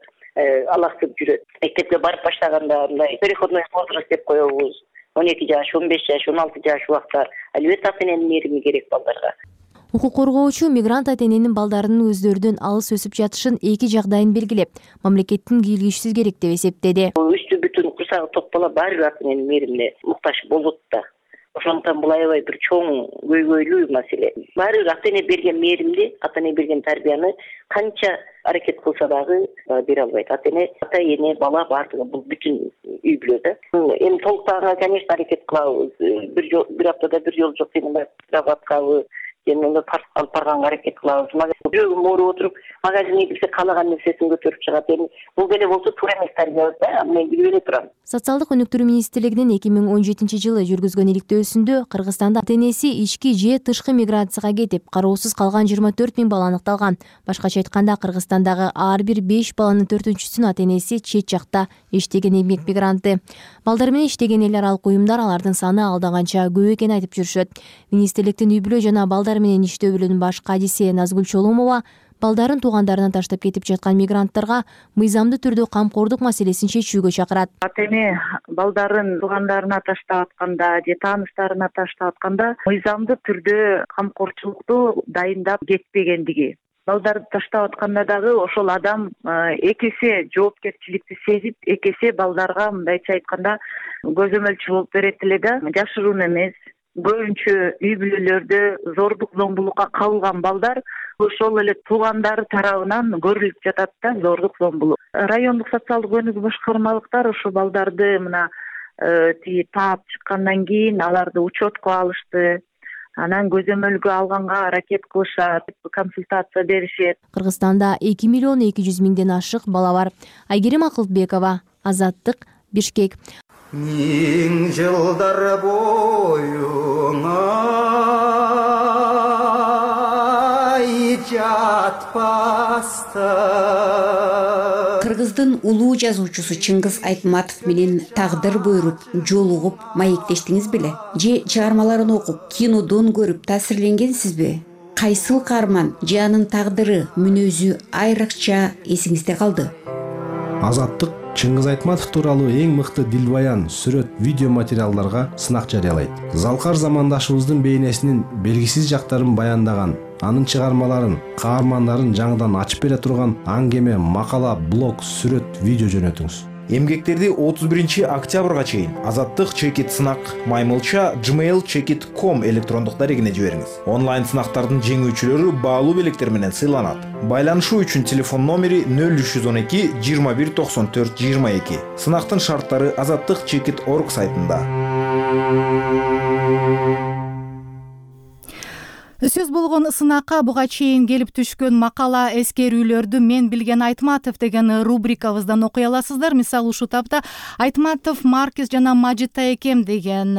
[SPEAKER 14] алактып жүрөт. Мектепке барып баштаганда мындай переходной возраст деп коебуз. 12 жаш, 15 жаш, 16 жаш убакта албетте ата-эненин мээрими керек балдарга.
[SPEAKER 17] Укук коргоочу мигрант ата-эненин балдарынын өздөрүнөн алыс өсүп жатышын эки жагдайын белгилеп, мамлекеттин кийлигишсиз керек деп эсептеди.
[SPEAKER 14] Үстү бүтүн курсагы ток бала баары бир ата-эненин мээримине муктаж болот да. Ошондуктан бул аябай бир чоң көйгөйлүү маселе. Баары бир ата-эне берген мээримди, ата-эне берген тарбияны канча аракет кылса дагы бере албайт. Ата-эне, бала баардыгы бул бүтүн үй бүлө да. Эми толуктаганга, конечно, аракет кылабыз. Бир аптада бир жолу жок дегенде сабаткабы, жөнүндө алып барганга аракет кылабыз. Жүрөгүм ооруп отуруп, магазинге кирсе каалаган нерсесин көтөрүп чыгат. Эми бул деле болсо туура эмес тарбия да, мен билип эле турам.
[SPEAKER 17] Социалдык өнүктүрүү министрлигинин 2017-жылы жүргүзгөн иликтөөсүндө Кыргызстанда ата-энеси ички же тышкы миграцияга кетип, кароосуз калган 24 000 бала аныкталган. Башкача айтканда, Кыргызстандагы ар бир 5 баланын 4-сүнүн ата-энеси чет жакта иштеген эмгек мигранты. Балдар менен иштеген эл аралык уюмдар алардын саны алдан канча көп экенин айтып жүрүшөт. Министрликтин үй бүлө жана балдар менен иштөө бөлүмүнүн баш кадиси Назгүл Чоломова балдарын туугандарына таштап кетип жаткан мигранттарга мыйзамдуу түрдө камкордук маселесин чечүүгө чакырат.
[SPEAKER 18] Ата-эне балдарын туугандарына таштап атканда же тааныштарына таштап атканда мыйзамдуу түрдө камкорчулукту дайындап кетпегендиги. Балдарды таштап атканда дагы ошол адам эки эсе жоопкерчиликти сезип, эки эсе балдарга мындайча айтканда көзөмөлчү болуп берет эле да. Жашыруун эмес. Көбүнчө үй бүлөлөрдө зордук зомбулукка кабылган балдар ошол эле туугандары тарабынан көрүлүп жатат да, зордук зомбулук. Райондук социалдык өнүгүү башкармалыктар ошо балдарды мына таап чыккандан кийин аларды учетко алышты. Анан көзөмөлгө алганга аракет кылышат, консультация беришет.
[SPEAKER 17] Кыргызстанда 2 200 000 ашык бала бар. Айгерим Акылбекова, Азаттык, Бишкек.
[SPEAKER 19] Миң жылдар бойуңа жатпаста.
[SPEAKER 20] Кыргыздын улуу жазуучусу Чыңгыз Айтматов менен тагдыр буйруп, жолугуп, маектештиңиз беле? Же чыгармаларын окуп, кинодон көрүп таасирленгенсизби? Кайсыл каарман же анын тагдыры, мүнөзү айрыкча эсиңизде калды?
[SPEAKER 21] Азаттык Чыңгыз Айтматов тууралуу эң мыкты дилбаян, сүрөт, видео материалдарга сынак жарыялайт. Залкар замандашыбыздын бейнесинин белгисиз жактарын баяндаган, анын чыгармаларын, каармандарын жаңыдан ачып бере турган аңгеме, макала, блог, сүрөт, видео жөнөтүңүз.
[SPEAKER 22] Эмгектерди 31 октябрга чейин Азаттык чекит сынак маймылча gmail.com электрондук дарегине жибериңиз. Онлайн сынактардын жеңүүчүлөрү баалуу белектер менен сыйланат. Байланышуу үчүн телефон номери 0312 21 94 22. Сынактын шарттары azattikchekit.org сайтында.
[SPEAKER 1] Сөз болгон сынакка буга чейин келип түшкөн макала, эскерүүлөрдү мен билген Айтматов деген рубрикабыздан окуй аласыздар. Мисалы ушул тапта Айтматов, Маркес жана Мажита экем деген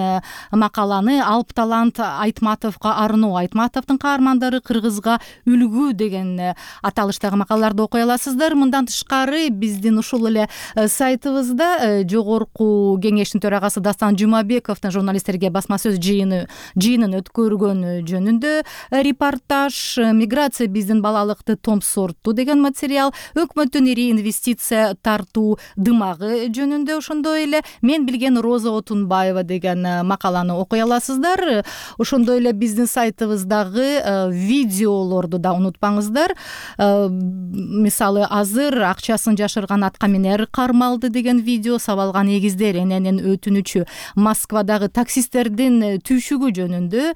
[SPEAKER 1] макаланы Алп талант Айтматовго арноо, Айтматовдун каармандары кыргызга үлгү деген аталыштагы макалаларды окуй аласыздар. Мындан тышкары биздин ушул эле сайтыбызда жогорку кеңештин төрагасы Дастан Жумабековдун журналисттерге басма сөз жыйынын өткөргөнү жөнүндө репортаж, миграция биздин балалыкты томсортту деген материал, өкмөттүн ири инвестиция тартуу дымагы жөнүндө ошондой эле мен билген Роза Отунбаева деген макаланы окуй аласыздар. Ошондой эле биздин сайтыбыздагы видеолорду да унутпаңыздар. Мисалы азыр акчасын жашырган атка минер кармалды деген видео, сабалган эгиздер эненин өтүнүчү, Москвадагы таксисттердин түйшүгү жөнүндө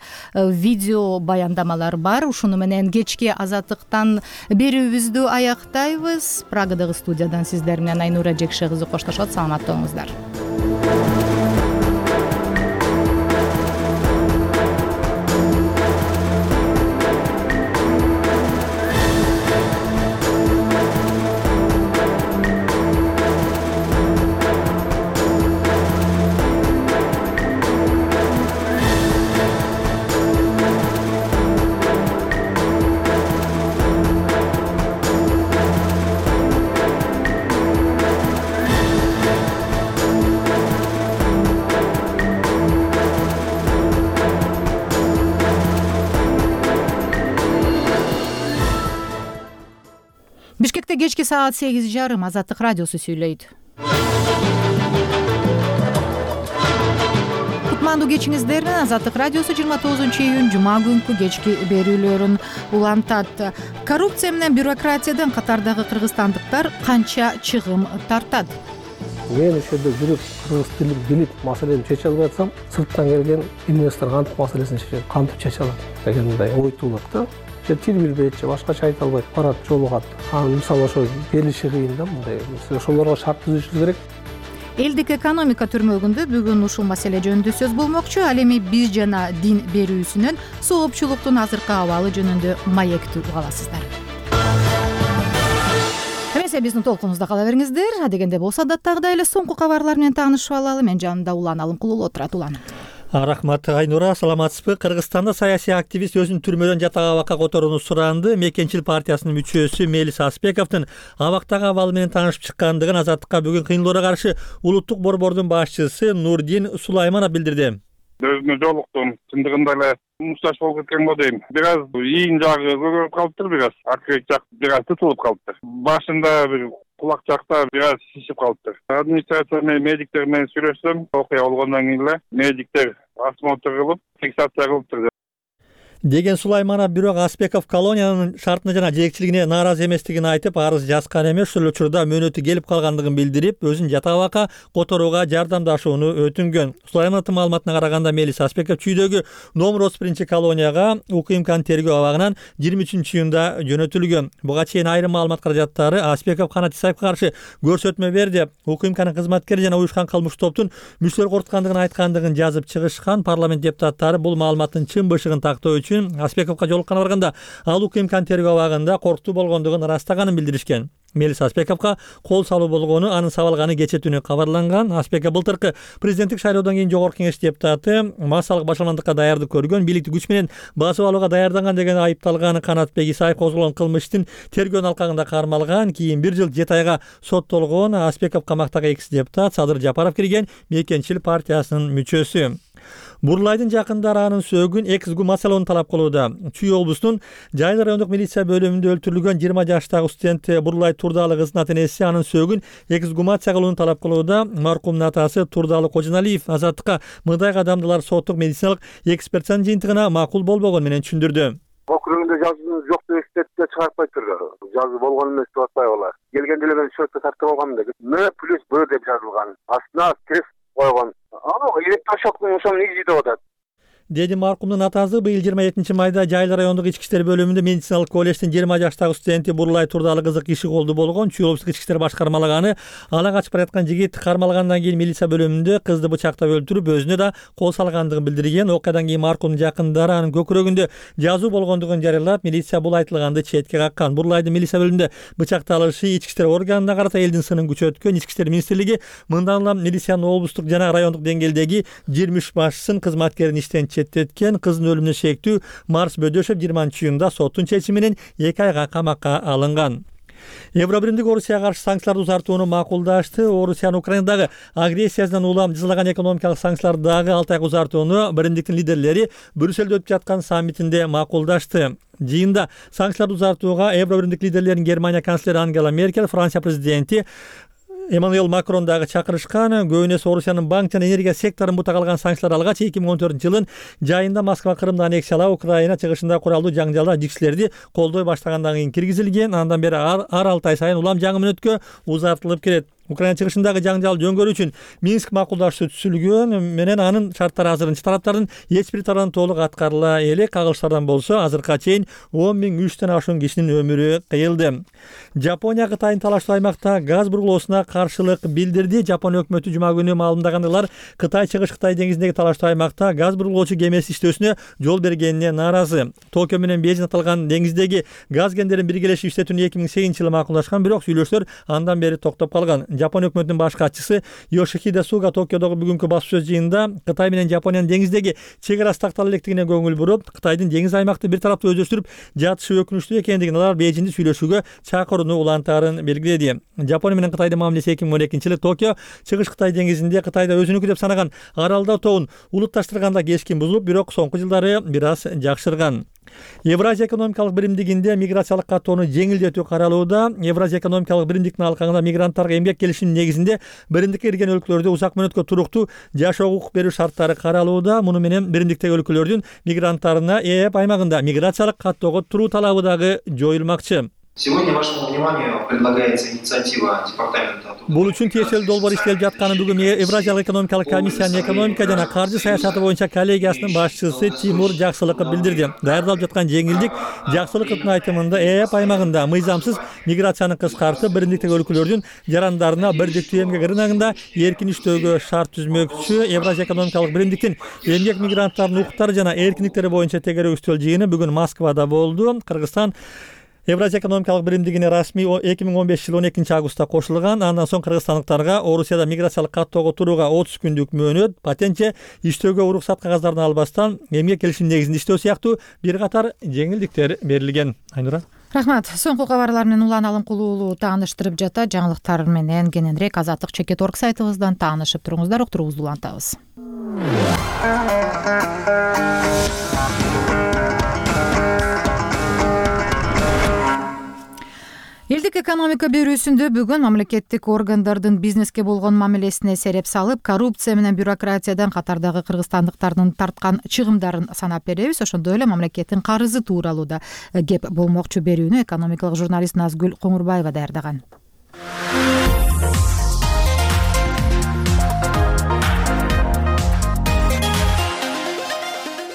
[SPEAKER 1] видео баяндамалар бар. Ушуну менен кечки Азаттыктан берүүбүздү аяктайбыз. Прагадагы студиядан сиздер менен Айнура Жекше кызы коштошот. Саламатта болуңуздар. кечки саат 8:30 Азаттык радиосу сүйлөйт. Кутмандуу кечиңиздер менен Азаттык радиосу 29-июнь жума күнкү кечки берүүлөрүн улантат. Коррупция менен бюрократиядан катардагы кыргызстандыктар канча чыгым тартат?
[SPEAKER 5] Мен ошол жерде жүрүп кыргыз тилин билип маселени чече албай атсам, сырттан келген инвестор кантип маселесин чечет, кантип чече алат деген мындай ой туулат да. Тил билбейт же башкача айта албайт, барат жолугат. Анын мисалы ошо келиши кыйын да мындай. Ошолорго шарт түзүшүбүз керек.
[SPEAKER 1] Элдик экономика түрмөгүндө бүгүн ушул маселе жөнүндө сөз болмокчу. Ал эми биз жана дин берүүсүнөн соопчулуктун азыркы абалы жөнүндө маектүү угаласыздар. Эмесе биздин толкунубузда кала бериңиздер. Адегенде болсо адаттагыдай эле соңку кабарлар менен таанышып алалы. Мен жанымда Улан Алымкулуу отурат. Улан.
[SPEAKER 4] Рахмат Айнура, саламатсызбы? Кыргызстанда саясий активист өзүн түрмөдөн жатак абакка которууну суранды. Мекенчил партиясынын мүчөсү Мелис Аспековдун абактагы абалы менен таанышып чыккандыгын Азаттыкка бүгүн кыйынлоого каршы улуттук борбордун башчысы Нурдин Сулайманов билдирди.
[SPEAKER 15] Өзүнө жолуктум, чындыгында эле мушташ болуп кеткен го дейм. Бир аз ийин жагы көбөйүп калыптыр, бир аз акыркы жак бир аз тутулуп калыптыр. Башында бир кулак жакта бир аз шишип калыптыр. Администрация менен медиктер менен сүйлөшсөм, окуя болгондон кийин эле медиктер осмотр кылып, фиксация кылыптыр
[SPEAKER 4] деген Сулайманов. Бирок Аспеков колониянын шартына жана жетекчилигине нааразы эместигин айтып, арыз жазган эмес, ошол учурда мөөнөтү келип калгандыгын билдирип, өзүн жатак абакка которууга жардамдашууну өтүнгөн. Сулаймановдун маалыматына караганда, Мелис Аспеков чүйдөгү номер 31 колонияга УКМКнын тергөө абагынан 23-июнда жөнөтүлгөн. Буга чейин айрым маалымат каражаттары Аспеков Канат Исаевге каршы көрсөтмө берди. УКМКнын кызматкери жана уюшкан кылмыш топтун мүчөлөр коркуткандыгын айткандыгын жазып чыгышкан. Парламент депутаттары бул маалыматтын чын бышыгын тактоо үчүн Аспековго жолуккана барганда ал УКМКнын тергөө абагында корктуу болгондугун ырастаганын билдиришкен. Мелис Аспековго кол салуу болгону анын сабалганы кечээ түнү кабарланган. Аспеков былтыркы президенттик шайлоодон кийин жогорку кеңеш депутаты, массалык башаламандыкка даярдык көргөн, бийликти күч менен басып алууга даярданган деген айыпталган. Канатбек Исаев козголгон кылмыш иштин тергөөнүн алкагында кармалган. Кийин 1 жыл 7 айга соттолгон. Аспеков камактагы экс депутат Садыр Жапаров кирген Мекенчил партиясынын мүчөсү. Бурлайдын жакындары анын сөөгүн эксгумациялоону талап кылууда. Чүй облусунун Жайлы райондук милиция бөлүмүндө өлтүрүлгөн 20 жаштагы студент Бурлай Турдалы кызынын ата-энеси анын сөөгүн эксгумация кылууну талап кылууда. Маркумдун атасы Турдалы Кожоналиев Азаттыкка мындай кадамдылар соттук медициналык экспертизанын жыйынтыгына макул болбогон менен түшүндүрдү.
[SPEAKER 2] Округунда жазуу жок деп эстетке чыгарпайт турду. Жазуу болгон эмес деп атпай болот. Келгенде эле мен счетко тартып алгам деп М+Б деп жазылган. Астына крест койгон. Аны электрошоктун ошонун изи деп атат.
[SPEAKER 4] Деди маркумдун атасы. Быйыл 27 майда Жайлы райондук ички иштер бөлүмүндө медициналык колледждин 20 жаштагы студенти Бурлай Турдалы кызы киши колду болгон. Чүй облустук ички иштер башкармалыгы ала качып бараткан жигит кармалгандан кийин милиция бөлүмүндө кызды бычактап өлтүрүп, өзүнө да кол салгандыгын билдирген. Окуядан кийин маркумдун жакындары анын көкүрөгүндө жазуу болгондугун жарыялап, милиция бул айтылганды четке каккан. Бурлайдын милиция бөлүмүндө бычакталышы ички иштер органына карата элдин сынын күчөткөн. Ички иштер министрлиги мындан улам милициянын облустук жана райондук деңгээлдеги 23 башчысын кызматкерин иштен четтеткен. Кыздын өлүмүнө шектүү Марс Бөдөшев 20-июнда соттун чечими менен 2 айга камакка алынган. Евробиримдик Орусияга каршы санкцияларды узартууну макулдашты. Орусиянын Украинадагы агрессиясынан улам жазылаган экономикалык санкцияларды дагы 6 айга узартууну биримдиктин лидерлери Брюссельде өтүп жаткан саммитинде макулдашты. Жыйында санкцияларды узартууга Евробиримдик лидерлерин Германия канцлери Ангела Меркель, Франция президенти Эммануэл Макрон дагы чакырышкан. Көбүнөсү Орусиянын банк жана энергия секторун бута калган санкциялар алгач 2014-жылдын жайында Москва Крымды аннексиялап, Украина чыгышында куралдуу жаңжалда жикшилерди колдой баштагандан кийин киргизилген. Андан бери ар 6 ай сайын улам жаңы мөөнөткө узартылып келет. Украина чыгышындагы жаңжал жөнгөрүү үчүн Минск макулдашуу түзүлгөн менен анын шарттары азырынча тараптардын эч бир тарабынан толук аткарыла элек. Кагылыштардан болсо азыркыга чейин 10.300 ашуун кишинин өмүрү кыйылды. Жапония Кытайдын талаштуу аймакта газ бурулуусуна каршылык билдирди. Жапония өкмөтү жума күнү маалымдагандыйлар Кытай чыгыш Кытай деңизиндеги талаштуу аймакта газ бурулуучу кемеси иштөөсүнө жол бергенине нааразы. Токио менен Бейжиң аталган деңиздеги газ кендерин биргелешип иштетүүнү 2008-жылы макулдашкан, бирок сүйлөшүүлөр андан бери токтоп калган. Жапония өкмөтүнүн баш катчысы Йошихиде Суга Токиодогу бүгүнкү басуу сөз жыйынында Кытай менен Жапониянын деңиздеги чек арасы тактала электигине көңүл буруп, Кытайдын деңиз аймакты бир тараптуу өздөштүрүп жатышы өкүнүчтүү экендигин, алар Бейжиңди сүйлөшүүгө чакырууну улантаарын белгиледи. Жапония менен Кытайдын мамилеси 2012-жылы Токио чыгыш Кытай деңизинде Кытайда өзүнүкү деп санаган Аралда тоон улутташтырганда кескин бузулуп, бирок соңку жылдары бир аз жакшырган. Евразия экономикалык биримдигинде миграциялык каттоону жеңилдетүү каралууда. Евразия экономикалык биримдиктин алкагында мигранттарга эмгек келишиминин негизинде биримдикке кирген өлкөлөрдө узак мөөнөткө туруктуу жашоо укук берүү шарттары каралууда. Муну менен биримдиктеги өлкөлөрдүн мигранттарына ЭЭП аймагында миграциялык каттоого туруу талабы дагы жоюлмакчы.
[SPEAKER 6] Сегодня вашему вниманию предлагается инициатива департамента.
[SPEAKER 4] Бул үчүн тиешелүү долбоор иштелип жатканын бүгүн Евразиялык экономикалык комиссиянын экономика жана каржы саясаты боюнча коллегиясынын башчысы Тимур Жаксылыков билдирди. Даярдалып жаткан жеңилдик Жаксылыковдун айтымында ЭЭП аймагында мыйзамсыз миграцияны кыскартып, биримдиктеги өлкөлөрдүн жарандарына бирдиктүү эмгек рыногунда эркин иштөөгө шарт түзмөкчү. Евразия экономикалык биримдиктин эмгек мигранттарынын укуктары жана эркиндиктери боюнча тегерөө үстөл жыйыны бүгүн Москвада болду. Кыргызстан Евразия экономикалык биримдигине расмий 2015 жыл 12 августта кошулган. Андан соң кыргызстандыктарга Орусияда миграциялык каттоого турууга 30 күндүк мөөнөт, патентче иштөөгө уруксат кагаздарын албастан эмгек келишим негизинде иштөө сыяктуу бир катар жеңилдиктер берилген. Айнура.
[SPEAKER 1] Рахмат. Соңку кабарлар менен Улан Алымкулуу уулу тааныштырып жатат. Жаңылыктар менен кененирээк Азаттык Чекит.org сайтыбыздан таанышып туруңуздар. Уктуруубузду улантабыз. Элдик экономика берүүсүндө бүгүн мамлекеттик органдардын бизнеске болгон мамилесине сереп салып, коррупция менен бюрократиядан катардагы кыргызстандыктардын тарткан чыгымдарын санап беребиз. Ошондой эле мамлекеттин карызы тууралуу да кеп болмокчу. Берүүнү экономикалык журналист Назгүл Коңурбаева даярдаган.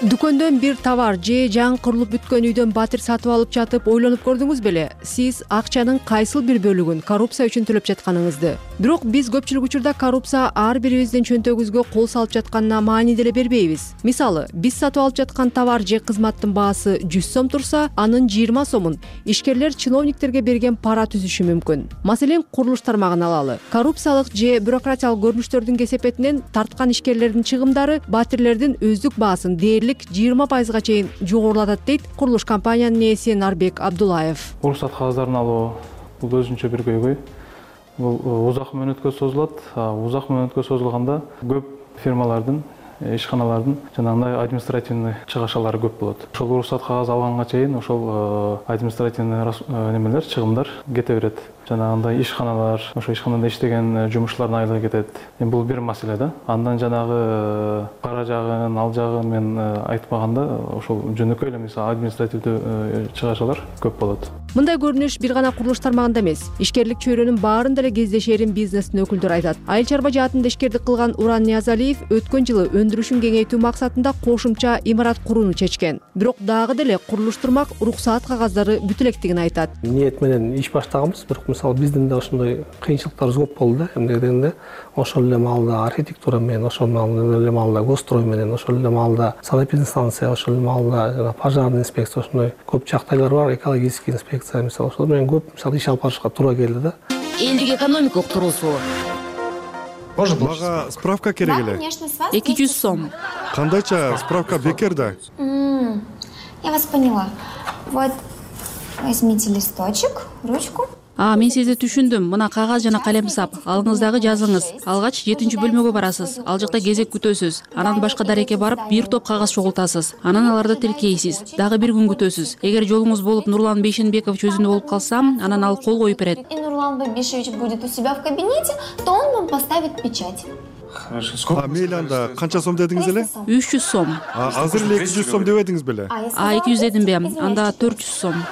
[SPEAKER 8] Дүкөндөн бир товар же жаңы курулуп бүткөн үйдөн батир сатып алып жатып ойлонуп көрдүңүз беле? Сиз акчанын кайсыл бир бөлүгүн коррупция үчүн төлөп жатканыңызды. Бирок биз көпчүлүк учурда коррупция ар бирибиздин чөнтөгүбүзгө кол салып жатканына маани деле бербейбиз. Мисалы, биз сатып алып жаткан товар же кызматтын баасы 100 сом турса, анын 20 сомун ишкерлер чиновниктерге берген пара түзүшү мүмкүн. Маселен, курулуш тармагын алалы. Коррупциялык же бюрократиялык көрүнүштөрдүн кесепетинен тарткан ишкерлердин чыгымдары батирлердин өздүк баасын дээрлик 20%-га чейин жогорулатат дейт курулуш компаниянын ээси Нарбек Абдулаев.
[SPEAKER 23] Уруксат кагыздарын алуу бул өзүнчө бир көйгөй. Бул узак мөөнөткө созулат. Узак мөөнөткө созулганда көп фирмалардын, ишканалардын жанагындай административный чыгашалары көп болот. Ошол уруксат кагаз алганга чейин ошол административный немелер, чыгымдар кете берет. Жанагындай ишканалар, ошо ишканада иштеген жумушчулардын айлыгы кетет. Бул бир маселе да. Андан жанагы кара жагын, ал жагын мен айтпаганда ошол жөнөкөй эле мисалы административдүү чыгашалар көп болот.
[SPEAKER 8] Мындай көрүнүш бир гана курулуш тармагында эмес. Ишкерлик чөйрөнүн баарында эле кездешерин бизнестин өкүлдөрү айтат. Айыл чарба жаатында ишкердик кылган Уран Ниязалиев өткөн жылы өндүрүшүн кеңейтүү максатында кошумча имарат курууну чечкен. Бирок дагы деле курулуш турмак уруксаат кагаздары бүтө элекдигин айтат.
[SPEAKER 5] Ниет менен иш баштаганбыз, бирок мисалы биздин да ошондой кыйынчылыктарыбыз көп болду да. Эмне дегенде ошол эле маалда архитектура менен, ошол эле маалда госстрой менен, ошол эле маалда санэпидстанция, ошол эле маалда пожарный инспекция, ошондой көп жактайлар бар, экологический инспекция мисалы ошол менен көп мисалы иш алып барышка туура келди да.
[SPEAKER 24] Элдик экономика уктуруусу.
[SPEAKER 25] Мага справка керек эле.
[SPEAKER 8] 200 сом.
[SPEAKER 25] Кандайча справка бекер да?
[SPEAKER 26] Я вас поняла. Вот возьмите листочек, ручку.
[SPEAKER 13] Мен сизди түшүндүм. Мына кагаз жана калемсап. Алыңыз дагы жазыңыз. Алгач 7-бөлмөгө барасыз. Ал жакта кезек күтөсүз. Анан башка дарекке барып, бир топ кагаз чогултасыз. Анан аларды тиркейсиз. Дагы бир күн күтөсүз. Эгер жолуңуз болуп Нурлан Бейшенбекович өзүндө болуп калса, анан ал кол коюп берет.
[SPEAKER 26] И Нурлан Бейшевич будет у себя в кабинете, то он вам поставит печать.
[SPEAKER 25] Мейли анда канча сом дедиңиз эле?
[SPEAKER 13] 300 сом.
[SPEAKER 25] Азыр эле 200 сом дебедиңиз беле?
[SPEAKER 13] 200 дедимби? Анда 400 сом.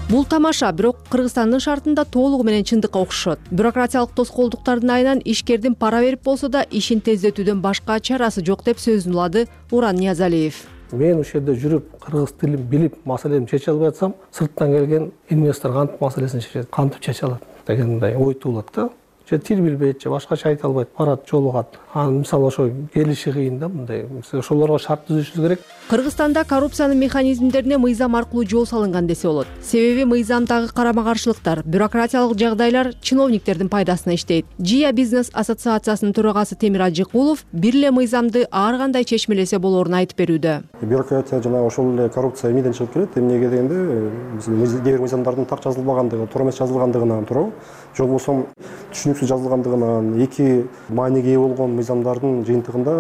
[SPEAKER 8] Бул тамаша, бирок Кыргызстандын шартында толугу менен чындыкка окшошот. Бюрократиялык тоскоолдуктардын айынан ишкердин пара берип болсо да ишин тездетүүдөн башка чарасы жок деп сөзүн улады Уран Ниязалиев.
[SPEAKER 5] Мен ошол жерде жүрүп, кыргыз тилин билип, маселени чече албай атсам, сырттан келген инвестор кантип маселесин чечет, кантип чече алат дегендей ой туулат да. Же тил билбейт, же башкача айта албайт, барат, жолугат. Анан мисалы ошо келиши кыйын да мындай. Ошолорго шарт түзүшүбүз керек.
[SPEAKER 8] Кыргызстанда коррупциянын механизмдерине мыйзам аркылуу жол салынган десе болот. Себеби мыйзамдагы карама-каршылыктар, бюрократиялык жагдайлар чиновниктердин пайдасына иштейт. Жия бизнес ассоциациясынын төрагасы Темир Ажыкулов бир эле мыйзамды ар кандай чечмелесе болоорун айтып берүүдө.
[SPEAKER 27] Бюрократия жана ошол эле коррупция эмнеден чыгып келет? Эмнеге дегенде, кээ бир мыйзамдардын так жазылбагандыгы, туура эмес жазылгандыгынан туурабы? Же болбосо түшүнүксүз жазылгандыгынан, эки мааниге ээ болгон мыйзамдардын жыйынтыгында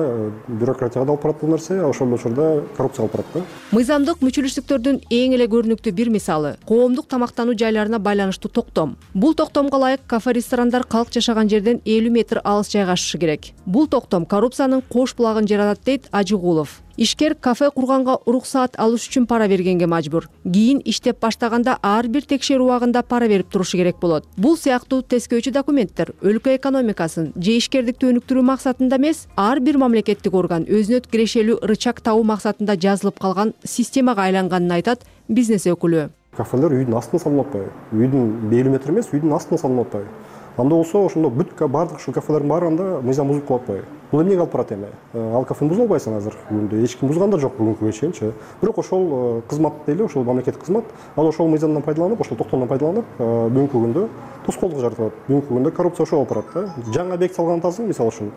[SPEAKER 27] бюрократияга да алып барат бул нерсе, ошол учурда коррупцияга алып барат да.
[SPEAKER 8] Мыйзамдык мүчүлүштүктөрдүн эң эле көрүнүктүү бир мисалы коомдук тамактануу жайларына байланыштуу токтом. Бул токтомго ылайык кафе-ресторандар калк жашаган жерден 50 метр алыс жайгашышы керек. Бул токтом коррупциянын кош булагын жаратат дейт Ажыгулов. Ишкер кафе курганга уруксаат алыш үчүн пара бергенге мажбур. Кийин иштеп баштаганда ар бир текшерүү убагында пара берип турушу керек болот. Бул сыяктуу тескөөчү документтер өлкө экономикасын же ишкердикти өнүктүрүү максатында эмес, ар бир мамлекеттик орган өзүнө кирешелүү рычаг табуу максатында жазылып калган системага айланганын айтат бизнес өкүлү.
[SPEAKER 27] Кафелер үйдүн астына салынып атпайбы? Үйдүн 50 метр эмес, үйдүн астына салынып атпайбы? Анда болсо ошондо бүт баардык ушул кафелердин баары анда мыйзам бузуп калып атпайбы? Бул эмнеге алып барат эми? Ал кафени буза албайсың азыр бүгүндө. Эч ким бузган да жок бүгүнкүгө чейинчи. Бирок ошол кызмат дейли, ошол мамлекеттик кызмат, ал ошол мыйзамдан пайдаланып, ошол токтомдон пайдаланып, бүгүнкү күндө тоскоолдук жаратат. Бүгүнкү күндө коррупция ошол алып барат да. Жаңы объект салган атасың, мисалы үчүн.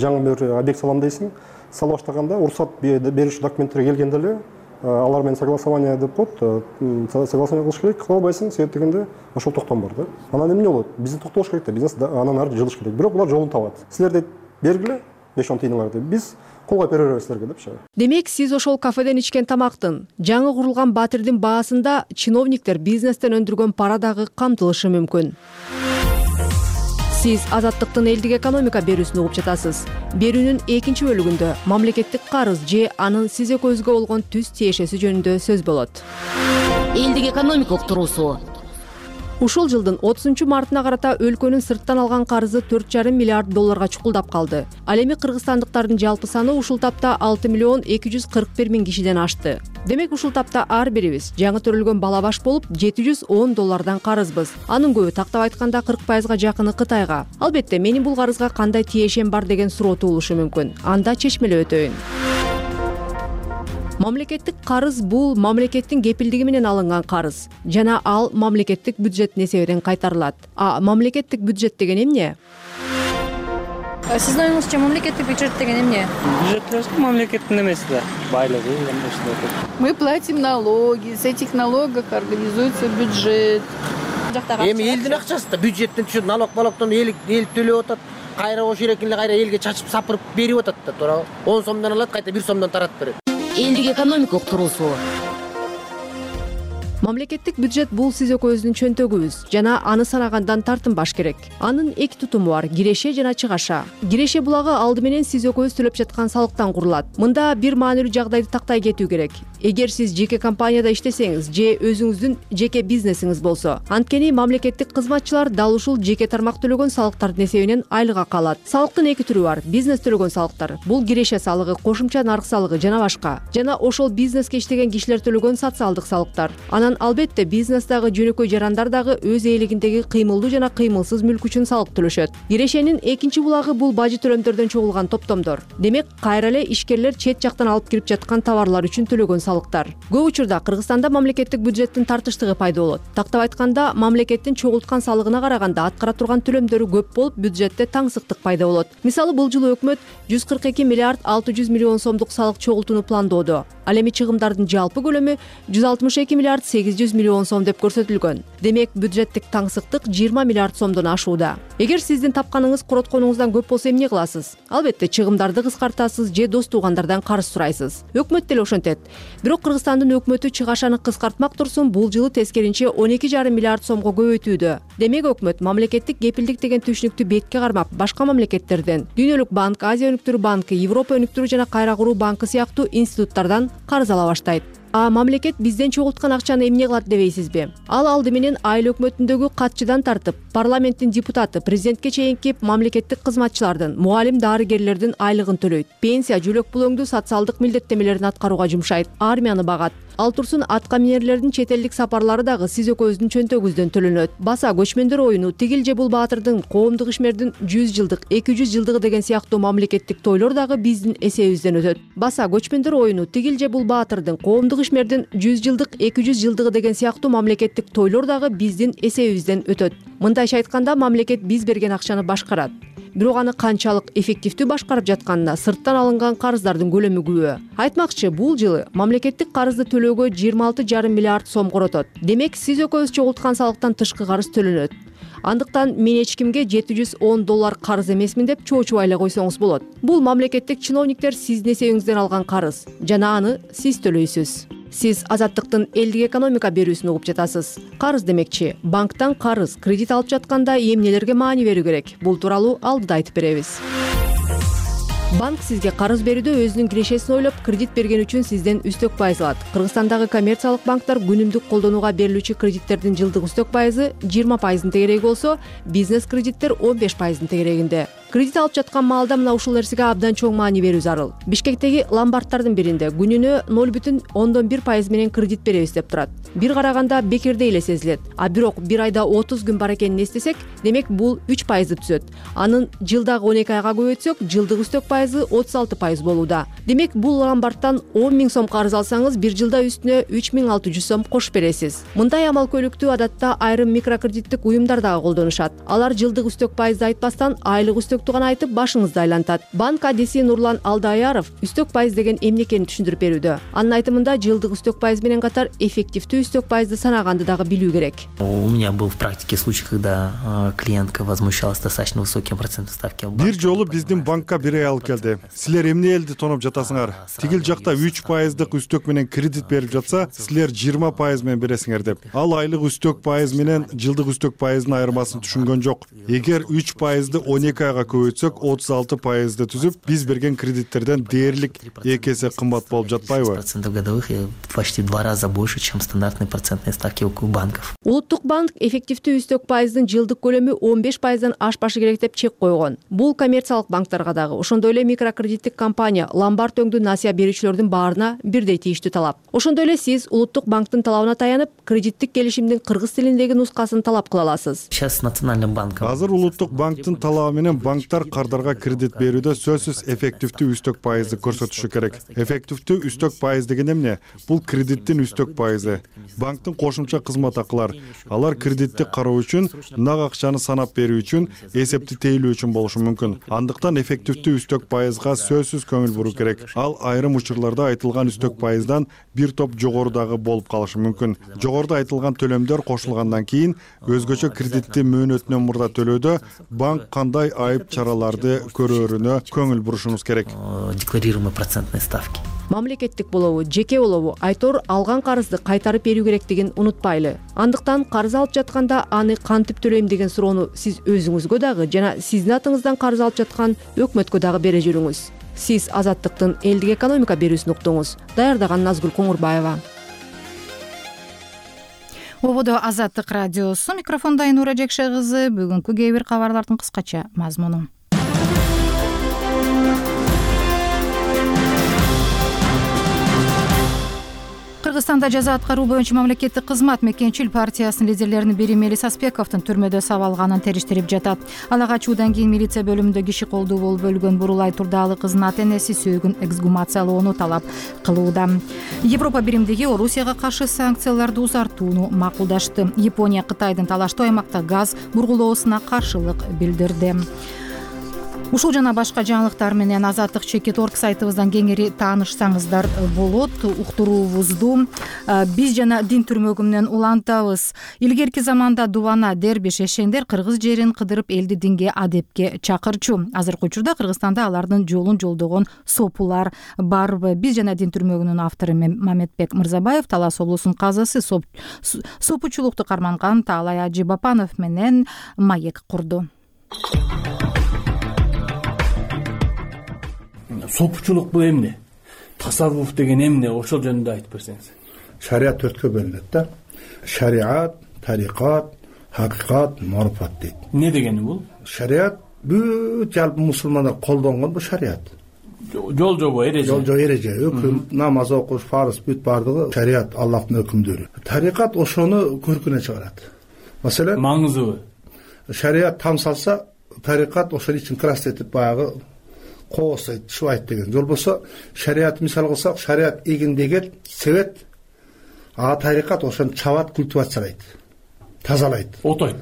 [SPEAKER 27] Жаңы бир объект салам дейсиң, сала баштаганда уруксат бериши документтерге келгенде эле алар менен согласование деп коет, согласование кылыш керек, кыла албайсың, себеп дегенде ошол токтом бар да. Анан эмне болот? Бизнес токтолуш керек да, бизнес анан ары жылыш керек. Бирок булар жолун табат. Силер бергиле 5-10 тыйыныңар деп, биз колго бере беребиз силерге депчи.
[SPEAKER 8] Демек, сиз ошол кафеден ичкен тамактын, жаңы курулган батирдин баасында чиновниктер бизнестен өндүргөн пара дагы камтылышы мүмкүн. Сиз Азаттыктын элдик экономика берүүсүн угуп жатасыз. Берүүнүн экинчи бөлүгүндө мамлекеттик карыз же анын сиз экөөбүзгө болгон түз тиешеси жөнүндө сөз болот.
[SPEAKER 24] Элдик экономика уктуруусу.
[SPEAKER 8] Ушул жылдын 30-мартына карата өлкөнүн сырттан алган карызы 4,5 миллиард долларга чукулдап калды. Ал эми кыргызстандыктардын жалпы саны ушул тапта 6,241,000 кишиден ашты. Демек ушул тапта ар бирибиз жаңы төрөлгөн бала баш болуп $710 карызбыз. Анын көбү тактап айтканда 40%га жакыны Кытайга. Албетте, менин бул карызга кандай тиешем бар деген суроо туулушу мүмкүн. Анда чечмелеп өтөйүн. Мамлекеттик карыз бул мамлекеттин кепилдиги менен алынган карыз жана ал мамлекеттик бюджеттин эсебинен кайтарылат. Мамлекеттик бюджет деген эмне?
[SPEAKER 3] Сиздин оюңузча мамлекеттик бюджет деген эмне?
[SPEAKER 7] Бюджет мамлекеттин эмеси да, байлыгы.
[SPEAKER 3] Мы платим налоги, с этих налогов организуется бюджет.
[SPEAKER 9] Эми элдин акчасы да бюджеттен түшөт, налогтон эл төлөп атат. Кайра ошо эркин эле кайра элге чачып сапырып берип атат да, туурабы? 10 сомдон алат, кайта 1 сомдон таратып берет.
[SPEAKER 24] Элдик экономика уктуруусу.
[SPEAKER 8] Мамлекеттик бюджет бул сиз экөөбүздүн чөнтөгүбүз жана аны санагандан тартынбаш керек. Анын эки тутуму бар: киреше жана чыгаша. Киреше булагы алды менен сиз экөөбүз төлөп жаткан салыктан курулат. Мында бир маанилүү жагдайды тактай кетүү керек. Эгер сиз жеке компанияда иштесеңиз же өзүңүздүн жеке бизнесиңиз болсо, анткени мамлекеттик кызматчылар дал ушул жеке тармак төлөгөн салыктардын эсебинен айлык алат. Салыктын эки түрү бар: бизнес төлөгөн салыктар. Бул киреше салыгы, кошумча нарк салыгы жана башка. Жана ошол бизнеске иштеген кишилер төлөгөн социалдык салыктар. Анан албетте бизнестагы жөнөкөй жарандар дагы өз ээлигиндеги кыймылдуу жана кыймылсыз мүлк үчүн салык төлөшөт. Кирешенин экинчи булагы бул бажы төлөмдөрдөн чогулган топтомдор. Демек, кайра эле ишкерлер чет жактан алып кирип жаткан товарлар үчүн төлөгөн салыктар. Көп учурда Кыргызстанда мамлекеттик бюджеттин тартыштыгы пайда болот. Тактап айтканда, мамлекеттин чогулткан салыгына караганда аткара турган төлөмдөрү көп болуп, бюджетте таңсыктык пайда болот. Мисалы, бул жылы өкмөт 142 миллиард 600 миллион сомдук салык чогултууну пландоодо. Ал эми чыгымдардын жалпы көлөмү 162 миллиард 800 миллион сом деп көрсөтүлгөн. Демек, бюджеттик таңсыктык 20 миллиард сомдон ашууда. Эгер сиздин тапканыңыз коротконуңуздан көп болсо эмне кыласыз? Албетте, чыгымдарды кыскартасыз же дос туугандардан карыз сурайсыз. Өкмөт деле ошентет. Бирок Кыргызстандын өкмөтү чыгашаны кыскартмак турсун, бул жылы тескеринче 12,5 миллиард сомго көбөйтүүдө. Демек, өкмөт мамлекеттик кепилдик деген түшүнүктү бетке кармап, башка мамлекеттерден Дүйнөлүк банк, Азия өнүктүрүү банкы, Европа өнүктүрүү жана кайра куруу банкы сыяктуу институттардан карыз ала баштайт. Мамлекет бизден чогулткан акчаны эмне кылат дебейсизби? Ал алды менен айыл өкмөтүндөгү катчыдан тартып, парламенттин депутаты, президентке чейинки мамлекеттик кызматчылардын, мугалим, дарыгерлердин айлыгын төлөйт. Пенсия, жөлөк пул социалдык милдеттемелерин аткарууга жумшайт. Армияны багат. Ал турсун атка минерлердин чет элдик сапарлары дагы сиз экөөбүздүн чөнтөгүбүздөн төлөнөт. Баса көчмөндөр оюну, тигил же бул баатырдын, коомдук ишмердин 100 жылдык, 200 жылдыгы деген сыяктуу мамлекеттик тойлор дагы биздин эсебибизден өтөт. Баса көчмөндөр оюну, тигил же бул баатырдын, коомдук ишмердин 100 жылдык, 200 жылдыгы деген сыяктуу мамлекеттик тойлор дагы биздин эсебибизден өтөт. Мындайча айтканда, мамлекет биз берген акчаны башкарат. Бирок аны канчалык эффективдүү башкарып жатканына сырттан алынган карыздардын көлөмү күбө. Айтмакчы, бул жылы мамлекеттик карызды төлөөгө 26,5 миллиард сом коротот. Демек, сиз экөөбүз чогулткан салыктан тышкы карыз төлөнөт. Андыктан мен эч кимге $710 карыз эмесмин деп чоочубай эле койсоңуз болот. Бул мамлекеттик чиновниктер сиздин эсебиңизден алган карыз жана аны сиз төлөйсүз. Сиз Азаттыктын элдик экономика берүүсүн угуп жатасыз. Карыз демекчи, банктан карыз, кредит алып жатканда эмнелерге маани берүү керек? Бул тууралуу алдыда айтып беребиз. Банк сизге карыз берүүдө өзүнүн кирешесин ойлоп, кредит берген үчүн сизден үстөк пайыз алат. Кыргызстандагы коммерциялык банктар күнүмдүк колдонууга берилүүчү кредиттердин жылдык үстөк пайызы 20% тегереги болсо, бизнес кредиттер 15% тегерегинде. Кредит алып жаткан маалда мына ушул нерсеге абдан чоң маани берүү зарыл. Бишкектеги ломбарддардын биринде күнүнө 0,1% менен кредит беребиз деп турат. Бир караганда бекердей эле сезилет. А бирок бир айда 30 күн бар экенин эстесек, демек бул 3% түзөт. Анын жылдагы 12 айга көбөйтсөк, жылдык үстөк пайызы 36% болууда. Демек бул ломбардтан 10 000 сом карыз алсаңыз, бир жылда үстүнө 3600 сом кошуп бересиз. Мындай амал көйлүктү адатта айрым микрокредиттик уюмдар дагы колдонушат. Алар жылдык үстөк пайызды айтпастан айлык үстөктү гана айтып башыңызды айлантат. Банк адиси Нурлан Алдаяров үстөк пайыз деген эмне экенин түшүндүрүп берүүдө. Анын айтымында жылдык үстөк пайыз менен катар эффективдүү үстөк пайызды санаганды дагы билүү керек.
[SPEAKER 10] У меня был в практике случай, когда клиентка возмущалась достаточно высоким процентом ставки.
[SPEAKER 25] Бир жолу биздин банкка бир ай алып келди. Силер эмне элди тоноп жатасыңар? Тигил жакта 3% үстөк менен кредит берип жатса, силер 20% менен бересиңер деп. Ал айлык үстөк пайыз менен жылдык үстөк пайыздын айырмасын түшүнгөн жок. Эгер 3%ды 12 айга көбөйтсөк, 36%ды түзүп, биз берген кредиттерден дээрлик 2 эсе кымбат болуп жатпайбы?
[SPEAKER 10] Процентов годовых почти в 2 раза больше, чем стандартные процентные ставки у банков.
[SPEAKER 8] Улуттук банк эффективдүү үстөк пайыздын жылдык көлөмү 15%дан ашпашы керек деп чек койгон. Бул коммерциялык банктарга дагы, ошондой эле микрокредиттик компания, ломбард өңдүү насыя берүүчүлөрдүн баарына бирдей тийиштүү талап. Ошондой эле сиз улуттук банктын талабына таянып, кредиттик келишимдин кыргыз тилиндеги нускасын талап кыла аласыз.
[SPEAKER 10] Сейчас национальным банком.
[SPEAKER 25] Азыр улуттук банктын талабы менен банктар кардарга кредит берүүдө сөзсүз эффективдүү үстөк пайызды көрсөтүшү керек. Эффективдүү үстөк пайыз деген эмне? Бул кредиттин үстөк пайызы. Банктын кошумча кызмат акылар. Алар кредитти кароо үчүн, нак акчаны санап берүү үчүн, эсепти тейлөө үчүн болушу мүмкүн. Андыктан эффективдүү үстөк пайызга сөзсүз көңүл буруу керек. Ал айрым учурларда айтылган үстөк пайыздан бир топ жогорудагы болуп калышы мүмкүн. Жогоруда айтылган төлөмдөр кошулгандан кийин өзгөчө кредитти мөөнөтүнөн мурда төлөөдө банк кандай айып чараларды көрөөрүнө көңүл бурушубуз керек.
[SPEAKER 10] Декларируемые процентные ставки.
[SPEAKER 8] Мамлекеттик болобу, жеке болобу, айтор алган карызды кайтарып берүү керектигин унутпайлы. Андыктан карыз алып жатканда аны кантип төлөйм деген суроону сиз өзүңүзгө дагы жана сиздин атыңыздан карыз алып жаткан өкмөткө дагы бере жүрүңүз. Сиз Азаттыктын элдик экономика берүүсүн уктуңуз. Даярдаган Назгүл Коңурбаева.
[SPEAKER 1] Ободо Азаттык радиосу, микрофонда Айнура Жекше кызы. Бүгүнкү кээ бир кабарлардын кыскача мазмуну. Кыргызстанда жаза аткаруу боюнча мамлекеттик кызмат Мекенчил партиясынын лидерлеринин бири Мелис Аспековдун түрмөдө сабалганын териштирип жатат. Ала качуудан кийин милиция бөлүмүндө киши колдуу болуп өлгөн Бурулай Турдаалы кызынын ата-энеси сөөгүн эксгумациялоону талап кылууда. Европа биримдиги Орусияга каршы санкцияларды узартууну макулдашты. Япония Кытайдын талаштуу аймакта газ бургулоосуна каршылык билдирди. Ушул жана башка жаңылыктар менен Азаттык Чекит.орг сайтыбыздан кеңири таанышсаңыздар болот. Уктуруубузду биз жана дин түрмөгү менен улантабыз. Илгерки заманда дубана, дербиш, эшендер кыргыз жерин кыдырып элди динге, адепке чакырчу. Азыркы учурда Кыргызстанда алардын жолун жолдогон сопулар барбы? Биз жана дин түрмөгүнүн автору Мамедбек Мырзабаев Талас облусунун казысы сопучулукту карманган Таалай Ажибапанов менен маек курду.
[SPEAKER 11] Сопучулук бул эмне? Тасаввуф деген эмне? Ошол жөнүндө айтып берсеңиз.
[SPEAKER 12] Шариат 4кө бөлүнөт да. Шариат, тарикат, хакыйкат, маруфат дейт.
[SPEAKER 11] Не дегени бул?
[SPEAKER 12] Шариат бүт жалпы мусулмандар колдонгон бул шариат.
[SPEAKER 11] Жол жобо, эреже.
[SPEAKER 12] Жол жобо, эреже, өкүм, намаз окуш, фарыз бүт бардыгы шариат, Аллахтын өкүмдөрү. Тарикат ошону көркүнө чыгарат. Маселен,
[SPEAKER 11] маңызыбы?
[SPEAKER 12] Шариат там салса, тарикат ошол үчүн красетип баягы коосойт, шубайт деген. Жол болсо, шариат мисал кылсак, шариат эгиндеген себет, а тарикат ошону чабат, культивациялайт, тазалайт.
[SPEAKER 11] Отойт,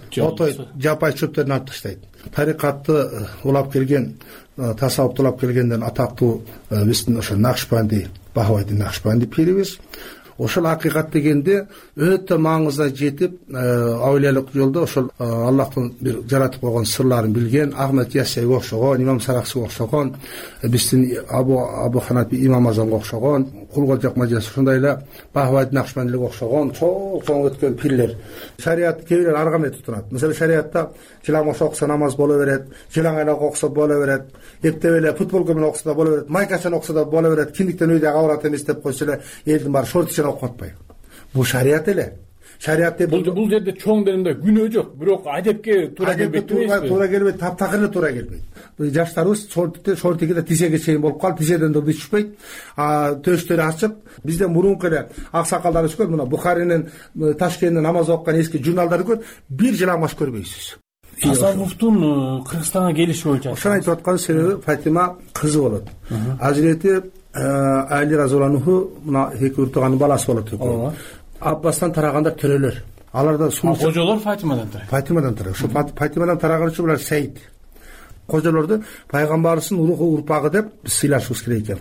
[SPEAKER 12] жапай чөптөрүн алып таштайт. Тарикатты улап келген, тасаввупту улап келгенден атактуу биздин ошо Накшбанди, Бахавайдин Накшбанди пирибиз. ошол акыйкат дегенде өтө маңызда жетип, аулиялык жолдо ошол Аллахтын бир жаратып койгон сырларын билген Ахмед Яссиге окшогон, Имам Сараксиге окшогон, биздин Абу Ханафи Имам Азамга окшогон, Кулгожок мажлиси ошондой эле Бахвайд Накшбандиге окшогон чоң өткөн пирлер. Шариат кээ бирлер ар кандай тутунат. Мисалы шариатта жылаң окса намаз боло берет, жылаң эле окса боло берет, эптеп эле футболко менен окса да боло берет, майкачан окса да боло берет, киндиктен үйдө кабарат эмес деп койсо эле элдин баары шортичен окуп атпайбы. Бул шариат эле. Шариат
[SPEAKER 11] бул жерде чоң дегенде күнөө жок, бирок адепке туура келбейт.
[SPEAKER 12] Туура келбейт, таптакыр эле туура келбейт. Жаштарыбыз шортикиде тизеге чейин болуп калып, тизеден да түшпөйт. Төштөрү ачык. Бизде мурунку эле аксакалдар өскөн, мына Бухаринин, Ташкенттин намаз окуган эски журналдарды көрүп, бир жыламаш көрбөйсүз.
[SPEAKER 11] Тасаввуфтун Кыргызстанга келиши боюнча
[SPEAKER 12] ошону айтып аткан себеби Фатима кызы болот. Азирети Али разияллаху мына эки уртуганын баласы болот. Аббастан тараганда төрөлөр. Аларда
[SPEAKER 11] кожолор Фатимадан тарайт.
[SPEAKER 12] Фатимадан тарайт. Ошо Фатимадан тараган үчүн булар Сейд. Кожолорду пайгамбарыбыздын уруху урпагы деп сыйлашыбыз керек экен.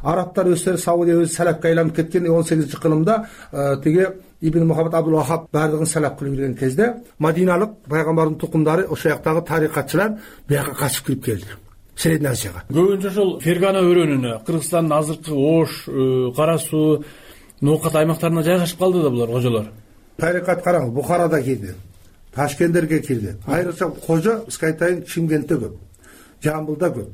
[SPEAKER 12] Арабтар өздөрү Саудия өзү салапка айланып кеткен 18-кылымда тиги Ибн Мухаммад Абдул Вахаб бардыгын салап кылып жүргөн кезде Мадиналык пайгамбардын тукумдары ошол жактагы тарикатчылар бияка качып кирип келди. Средний Азияга.
[SPEAKER 11] Көбүнчө ошол Фергана өрөөнүнө, Кыргызстандын азыркы Ош, Кара Суу, Ноокат аймактарына жайгашып калды да булар кожолор.
[SPEAKER 12] Тарикат караңыз, Бухарада кирди, Ташкенттерге кирди. Айрыкча кожо бизге айтайын Чимкентте көп, Жамбылда көп,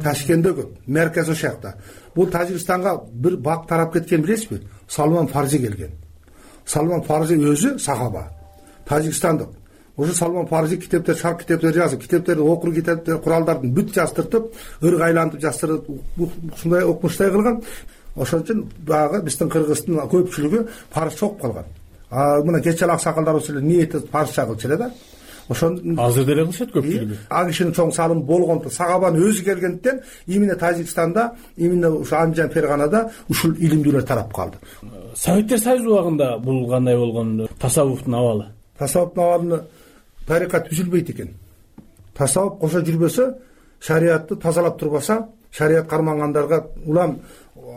[SPEAKER 12] Ташкентте көп, меркез ошол жакта. Бул Тажикстанга бир бак тарап кеткен билесизби? Салман Фарзи келген. Салман Фарзи өзү сахаба, Тажикстандык. Ошо Салман Фарзи китептер, шарк китептер жазып, китептерди окур, китептер, куралдардын бүт жаздыртып, ырг айлантып жаздырып, ушундай окумуштай кылган. Ошон үчүн баягы биздин Кыргыздын көпчүлүгү парызча окуп калган. Мына кечээ аксакалдарыбыз эле ниети парызча кылчу эле да. Ошон
[SPEAKER 11] азыр деле кылышат көпчүлүгү.
[SPEAKER 12] А кишинин чоң салымы болгондо сахабанын өзү келгенден именно Тажикстанда, именно ушу Анжан Ферганада ушул илимдүүлөр тарап калды.
[SPEAKER 11] Советтер Союзу убагында бул кандай болгон тасаввуфтун абалы?
[SPEAKER 12] Тасаввуфтун абалын тарикат түзүлбөйт экен. Тасаввуф кошо жүрбөсө, шариатты тазалап турбаса, шариат кармангандарга улам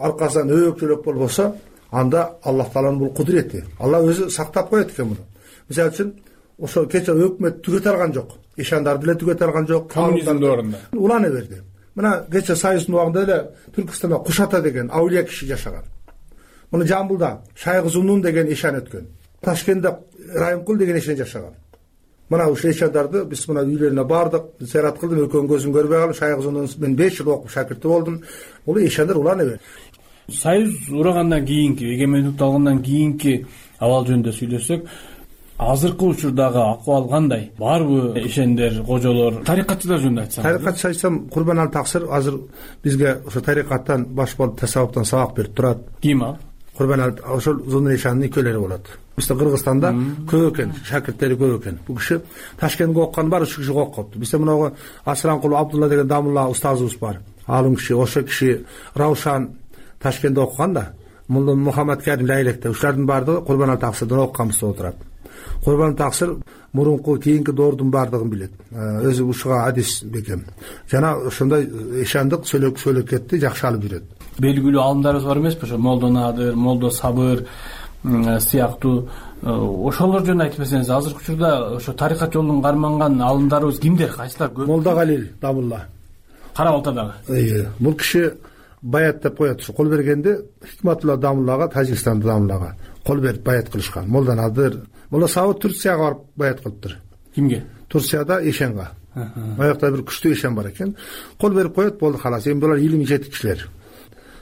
[SPEAKER 12] аркасынан өбөкчөлөп болбосо, анда Аллах Тааланын бул кудурети. Алла өзү сактап коет экен муну. Мисалы үчүн ошо кече өкмөт түгөтө алган жок. Ишандарды деле түгөтө алган жок.
[SPEAKER 11] Коммунизм дöwрүндө
[SPEAKER 12] улана берди. Мына кече Союздун убагында эле Түркүстанда Кушата деген аулия киши жашаган. Муну Жамбылда Шайгы Зунун деген ишан өткөн. Ташкентте Райымкул деген ишан жашаган. Мына ушул ишандарды биз мына үйлөрүнө бардык, зыярат кылдым, экөөнүн көзүн көрбөй калдым. Шайгы Зунун мен 5 жыл окуп шакирти болдум. Бул ишандар улана берди.
[SPEAKER 11] Союз урагандан кийинки, эгемендикти алгандан кийинки абал жөнүндө сүйлөсөк, азыркы учурдагы акыбал кандай? Барбы ишендер, кожолор, тарикатчылар жөнүндө айтсам?
[SPEAKER 12] Тарикатчы айтсам, Курбанали Таксир азыр бизге ошо тарикаттан баш болуп тасаввуфтан сабак берип турат.
[SPEAKER 11] Ким ал?
[SPEAKER 12] Курбанали ошол Зунун ишанын экөөлөрү болот. Бизде Кыргызстанда көп экен, шакирттери көп экен. Бул киши Ташкентке окуган бар, ушу киши окупту. Бизде мына Асранкул Абдулла деген Дамулла устазыбыз бар. Алым киши, ошо киши Раушан Ташкентте окуган да. Мулла Мухаммад Карим Лайлекте ушулардын баардыгы Курбанали Таксирден окуганбызда отурат. Курбанали Таксир мурунку кийинки доордун баардыгын билет. Өзү ушуга адис бекем. Жана ошондой ишандык сөйлөкетти жакшы алып жүрөт.
[SPEAKER 11] Белгилүү алымдарыбыз бар эмеспи? Ошо Молдо Надыр, Молдо Сабыр сыяктуу ошолор жөнүндө айтып берсеңиз, азыркы учурда ошо тарикат жолун карманган алымдарыбыз кимдер, кайсылар көп?
[SPEAKER 12] Молда Галил Дамулла.
[SPEAKER 11] Кара Балтадагы.
[SPEAKER 12] Бул киши баят деп коет. Кол бергенде Хикматулла Дамуллага, Тажикстанда Дамуллага кол берип баят кылышкан. Молда Надыр, Молда Сабыр Турцияга барып баят кылыптыр.
[SPEAKER 11] Кимге?
[SPEAKER 12] Турцияда ишенга. Аякта бир күчтүү ишен бар экен. Кол берип коет, болду халас. Эми булар илим жетик кишилер.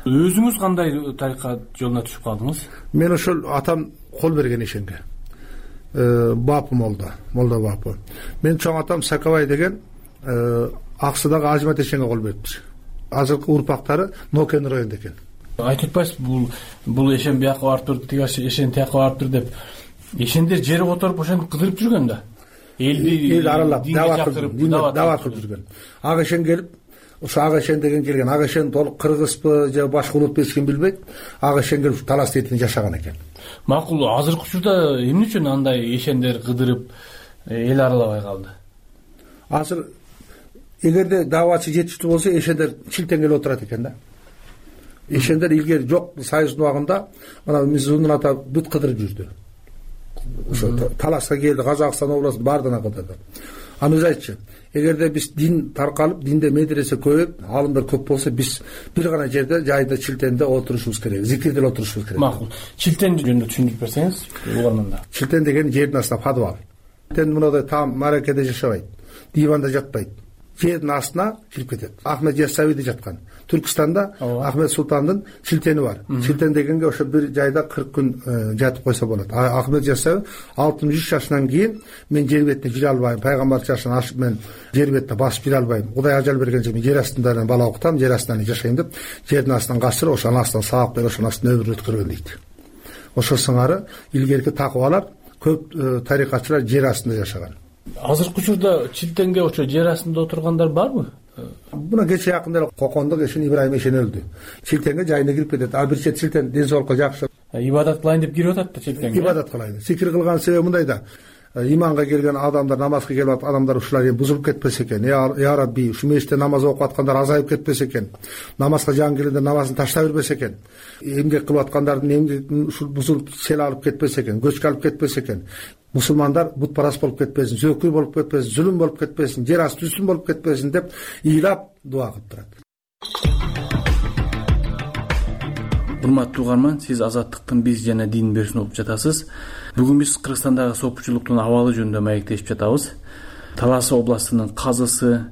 [SPEAKER 11] Өзүңүз кандай тарикат жолуна түшүп калдыңыз?
[SPEAKER 12] Мен ошол атам кол берген ишенге. Бапы Молда Бапы. Мен чоң атам Сакабай деген Аксыдагы Ажмат ишенге кол бериптир. Азыркы урпактары Нокен районунда экен.
[SPEAKER 11] Айтып атпайсызбы, бул ишен бияка барып туруп, тиги ишен тияка барып туруп деп. Ишендер жери которуп ошентип кыдырып жүргөн да.
[SPEAKER 12] Эл аралап, дават кылып жүргөн. Ага ишен келип, ошо Ага ишен деген келген. Ага ишен толук кыргызбы же башка улут эчким билбейт. Ага ишен келип талас этинде жашаган экен.
[SPEAKER 11] Макул, азыркы учурда эмне үчүн андай ишендер кыдырып эл аралабай калды?
[SPEAKER 12] Азыр эгерде давачы жетиштүү болсо, ишендер чилтең келип отурат экен да. ишендер илгери жок союздун убагында мына Мизунун ата бүт кыдырып жүрдү. Ошо талашка келди, Казакстан областын баардыгына кыдырды. Аны айтчы, эгерде биз дин таркалып, динде медресе көбөйүп, алымдар көп болсо, биз бир гана жерде жайда Чилтенде отурушубуз керек, зикирде отурушубуз керек.
[SPEAKER 11] Макул. Чилтен жөнүндө түшүндүрүп берсеңиз, угурманда.
[SPEAKER 12] Чилтен деген жердин астында подвал. Чилтен мындай там маракеде жашабайт, диванда жатпайт. Жердин астына кирип кетет. Ахмет Яссауиде жаткан. Түркстанда Ахмет Султандын Чилтени бар. Чилтен дегенге ошо бир жайда 40 күн жатып койсо болот. Ахмет Яссауи 63 жашынан кийин мен жер бетине жүре албайм, пайгамбар жашын ашып мен жер бетине басып жүре албайм. Кудай ажал бергенче мен жер астында бала окутам, жер астында жашайм деп жердин астынан качырып, ошонун астынан сабак берип, ошонун астынан өмүрүн өткөргөн дейт. Ошо сыңары илгерки такыбалар көп тарикатчылар жер астында жашаган.
[SPEAKER 11] Азыркы учурда Чилтенге ошо жер астында отургандар барбы?
[SPEAKER 12] Буна кече жакында эле Кокондук Эшен Ибрайым Эшен өлдү. Чилтенге жайына кирип кетет. А бир чет Чилтен ден соолукка жакшы.
[SPEAKER 11] Ибадат кылайын деп кирип атат да Чилтенге.
[SPEAKER 12] Ибадат кылайын. Зикир кылган себеби мындай да. Иманга келген адамдар, намазга келип атат адамдар ушулар бузулуп кетпесе экен. Я Рабби, ушу мешитте намаз окуп аткандар азайып кетпесе экен. Намазга жан келгенде намазын таштап бербесе экен. Эмгек кылып аткандардын эмгегин ушул бузулуп сел алып кетпесе экен, көчкө алып кетпесе экен. Мусулмандар бутпарас болуп кетпесин, зөкүр болуп кетпесин, зүлүм болуп кетпесин, жер асты үстүн болуп кетпесин деп ыйлап дуа кылып турат.
[SPEAKER 11] Урматтуу угарман, сиз Азаттыктын биз жана дин берүүсүн угуп жатасыз. Бүгүн биз Кыргызстандагы сопучулуктун абалы жөнүндө маектешип жатабыз. Талас областынын казысы,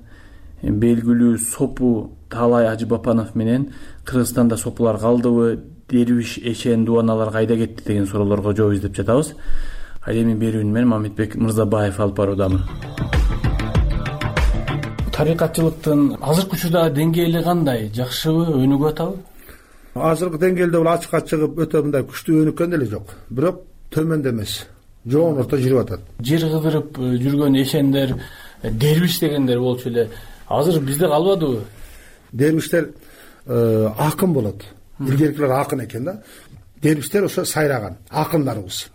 [SPEAKER 11] белгилүү сопу Таалай Ажыбапанов менен Кыргызстанда сопулар калдыбы, Дервиш Эшен дубаналар кайда кетти деген суроолорго жооп издеп жатабыз. Ал эми берүүнү мен Мамитбек Мырзабаев алып баруудамын. Тарикатчылыктын азыркы учурда деңгээли кандай? Жакшыбы, өнүгүп атабы?
[SPEAKER 12] Азыркы деңгээлде бул ачыкка чыгып өтө мындай күчтүү өнүккөн деле жок. Бирок төмөндө эмес. Жоон орто жүрүп атат.
[SPEAKER 11] Жер кыдырып жүргөн эшендер, дервиш дегендер болчу эле. Азыр бизде калбадыбы?
[SPEAKER 12] Дервиштер акын болот. Илгеркилер акын экен да. Дервиштер ошо сайраган, акындарыбыз.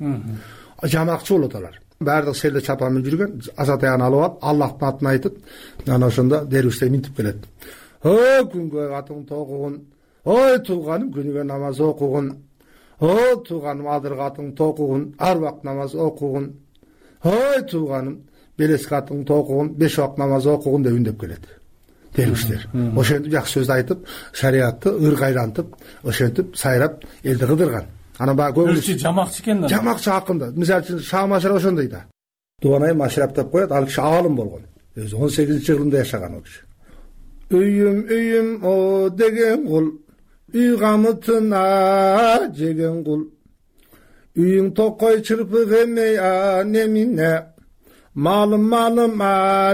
[SPEAKER 12] Жамакчы болот алар. Баардык селде чапан менен жүргөн, азат аягын алып алып, Аллахтын атын айтып, анан ошондо дервиштер минтип келет. О, күнгө атың тогугун, ой тууганым күнүгө намаз окугун. О, тууганым адырга атың токугун, ар убакыт намаз окугун. Ой тууганым белеске атың токугун, 5 убакыт намаз окугун деп үндөп келет. Дервиштер. Ошентип жакшы сөз айтып, шариатты ыргайлантып, ошентип сайрап элди кыдырган. Анан баягы
[SPEAKER 11] көбүнчө жамакчы экен да.
[SPEAKER 12] Жамакчы акында. Мисалы үчүн Шаамашар ошондой да. Дубанай Машрап деп коет, ал киши алым болгон. Өзү 18-жылында жашаган ол киши. Үйүм о деген кул, үй камытына жеген кул. Үйүң токой чырпык эмей немине. Малым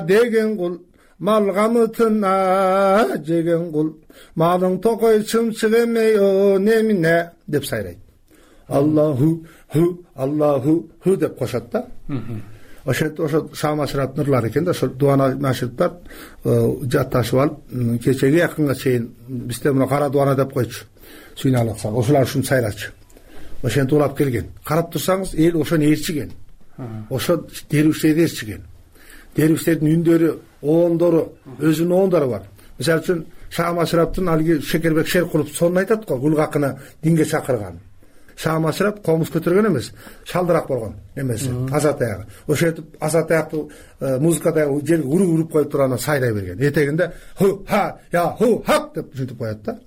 [SPEAKER 12] деген кул, мал камытына жеген кул. Малың токой чымчык эмей немине деп сайрайт. Аллаху ху деп кошот да. Ошо Шаамашрап нурлар экен да, ошо дуана машриптар жатташып алып, кечеге якынга чейин бизде мына кара дуана деп койчу. Сүйналыкса, ошолар ушун сайрачу. Ошентип улап келген. Карап турсаңыз, эл ошону ээрчиген. Ошо дервиштерди ээрчиген. Дервиштердин үндөрү, оондору, өзүнүн оондору бар. Мисалы үчүн Шаамашраптын алги Шекербек Шеркулов сонун айтат го, Гулгакыны динге чакырган. Шаамашрап комуз көтөргөн эмес, шалдырак болгон эмеси, азат аягы. Ошентип азат аякты музыкада жерге уруп коюп турганда сайрай берген. Этегинде ху ха я ху хак деп ушинтип коет да.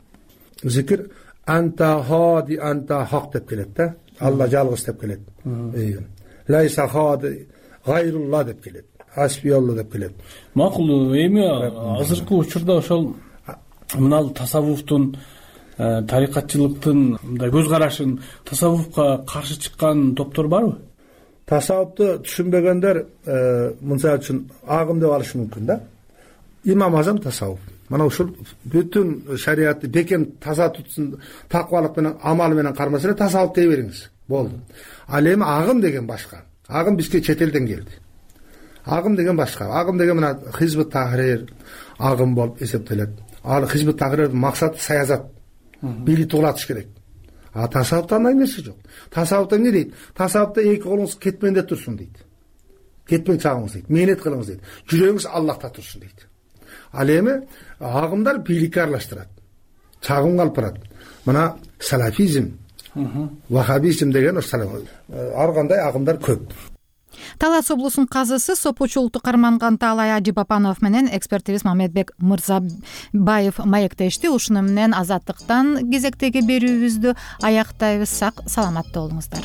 [SPEAKER 12] Зикир анта хади анта хак деп келет да. Алла жалгыз деп келет. Лайса хади гайрулла деп келет. Асбиалла деп келет.
[SPEAKER 11] Макул, эми азыркы учурда ошол мына тасаввуфтун тарикатчылыктын мындай көз карашын, тасаввуфка каршы чыккан топтор барбы?
[SPEAKER 12] Тасаввуфту түшүнбөгөндөр мынча үчүн агым деп алышы мүмкүн да. Имам Азам тасаввуф. Мына ушул бүтүн шариатты бекем таза тутсун, такыбалык менен, амал менен кармаса эле тасаввуф дей бериңиз. Болду. Ал эми агым деген башка. Агым бизге чет элден келди. Агым деген башка. Агым деген мына Хизбут Тахрир агым болуп эсептелет. Ал Хизбут Тахрирдин максаты саясат. Бийликти улатыш керек. А тасаввуфта андай нерсе жок. Тасаввуфта эмне дейт? Тасаввуфта эки колуңуз кетменде турсун дейт. Кетмең чагыңыз дейт. Мээнет кылыңыз дейт. Жүрөгүңүз Аллахта турсун дейт. Ал эми агымдар бийликке аралаштырат. Чагымга алып барат. мына салафизм, вахабизм деген ар кандай агымдар көп.
[SPEAKER 1] Талас облусунун казысы Сопочу улуттук карманган Таалай Ажибапанов менен экспертибиз Мамедбек Мырзабаев маектешти. Ушуну менен Азаттыктан кезектеги берүүбүздү аяктайбыз. Сак саламатта болуңуздар.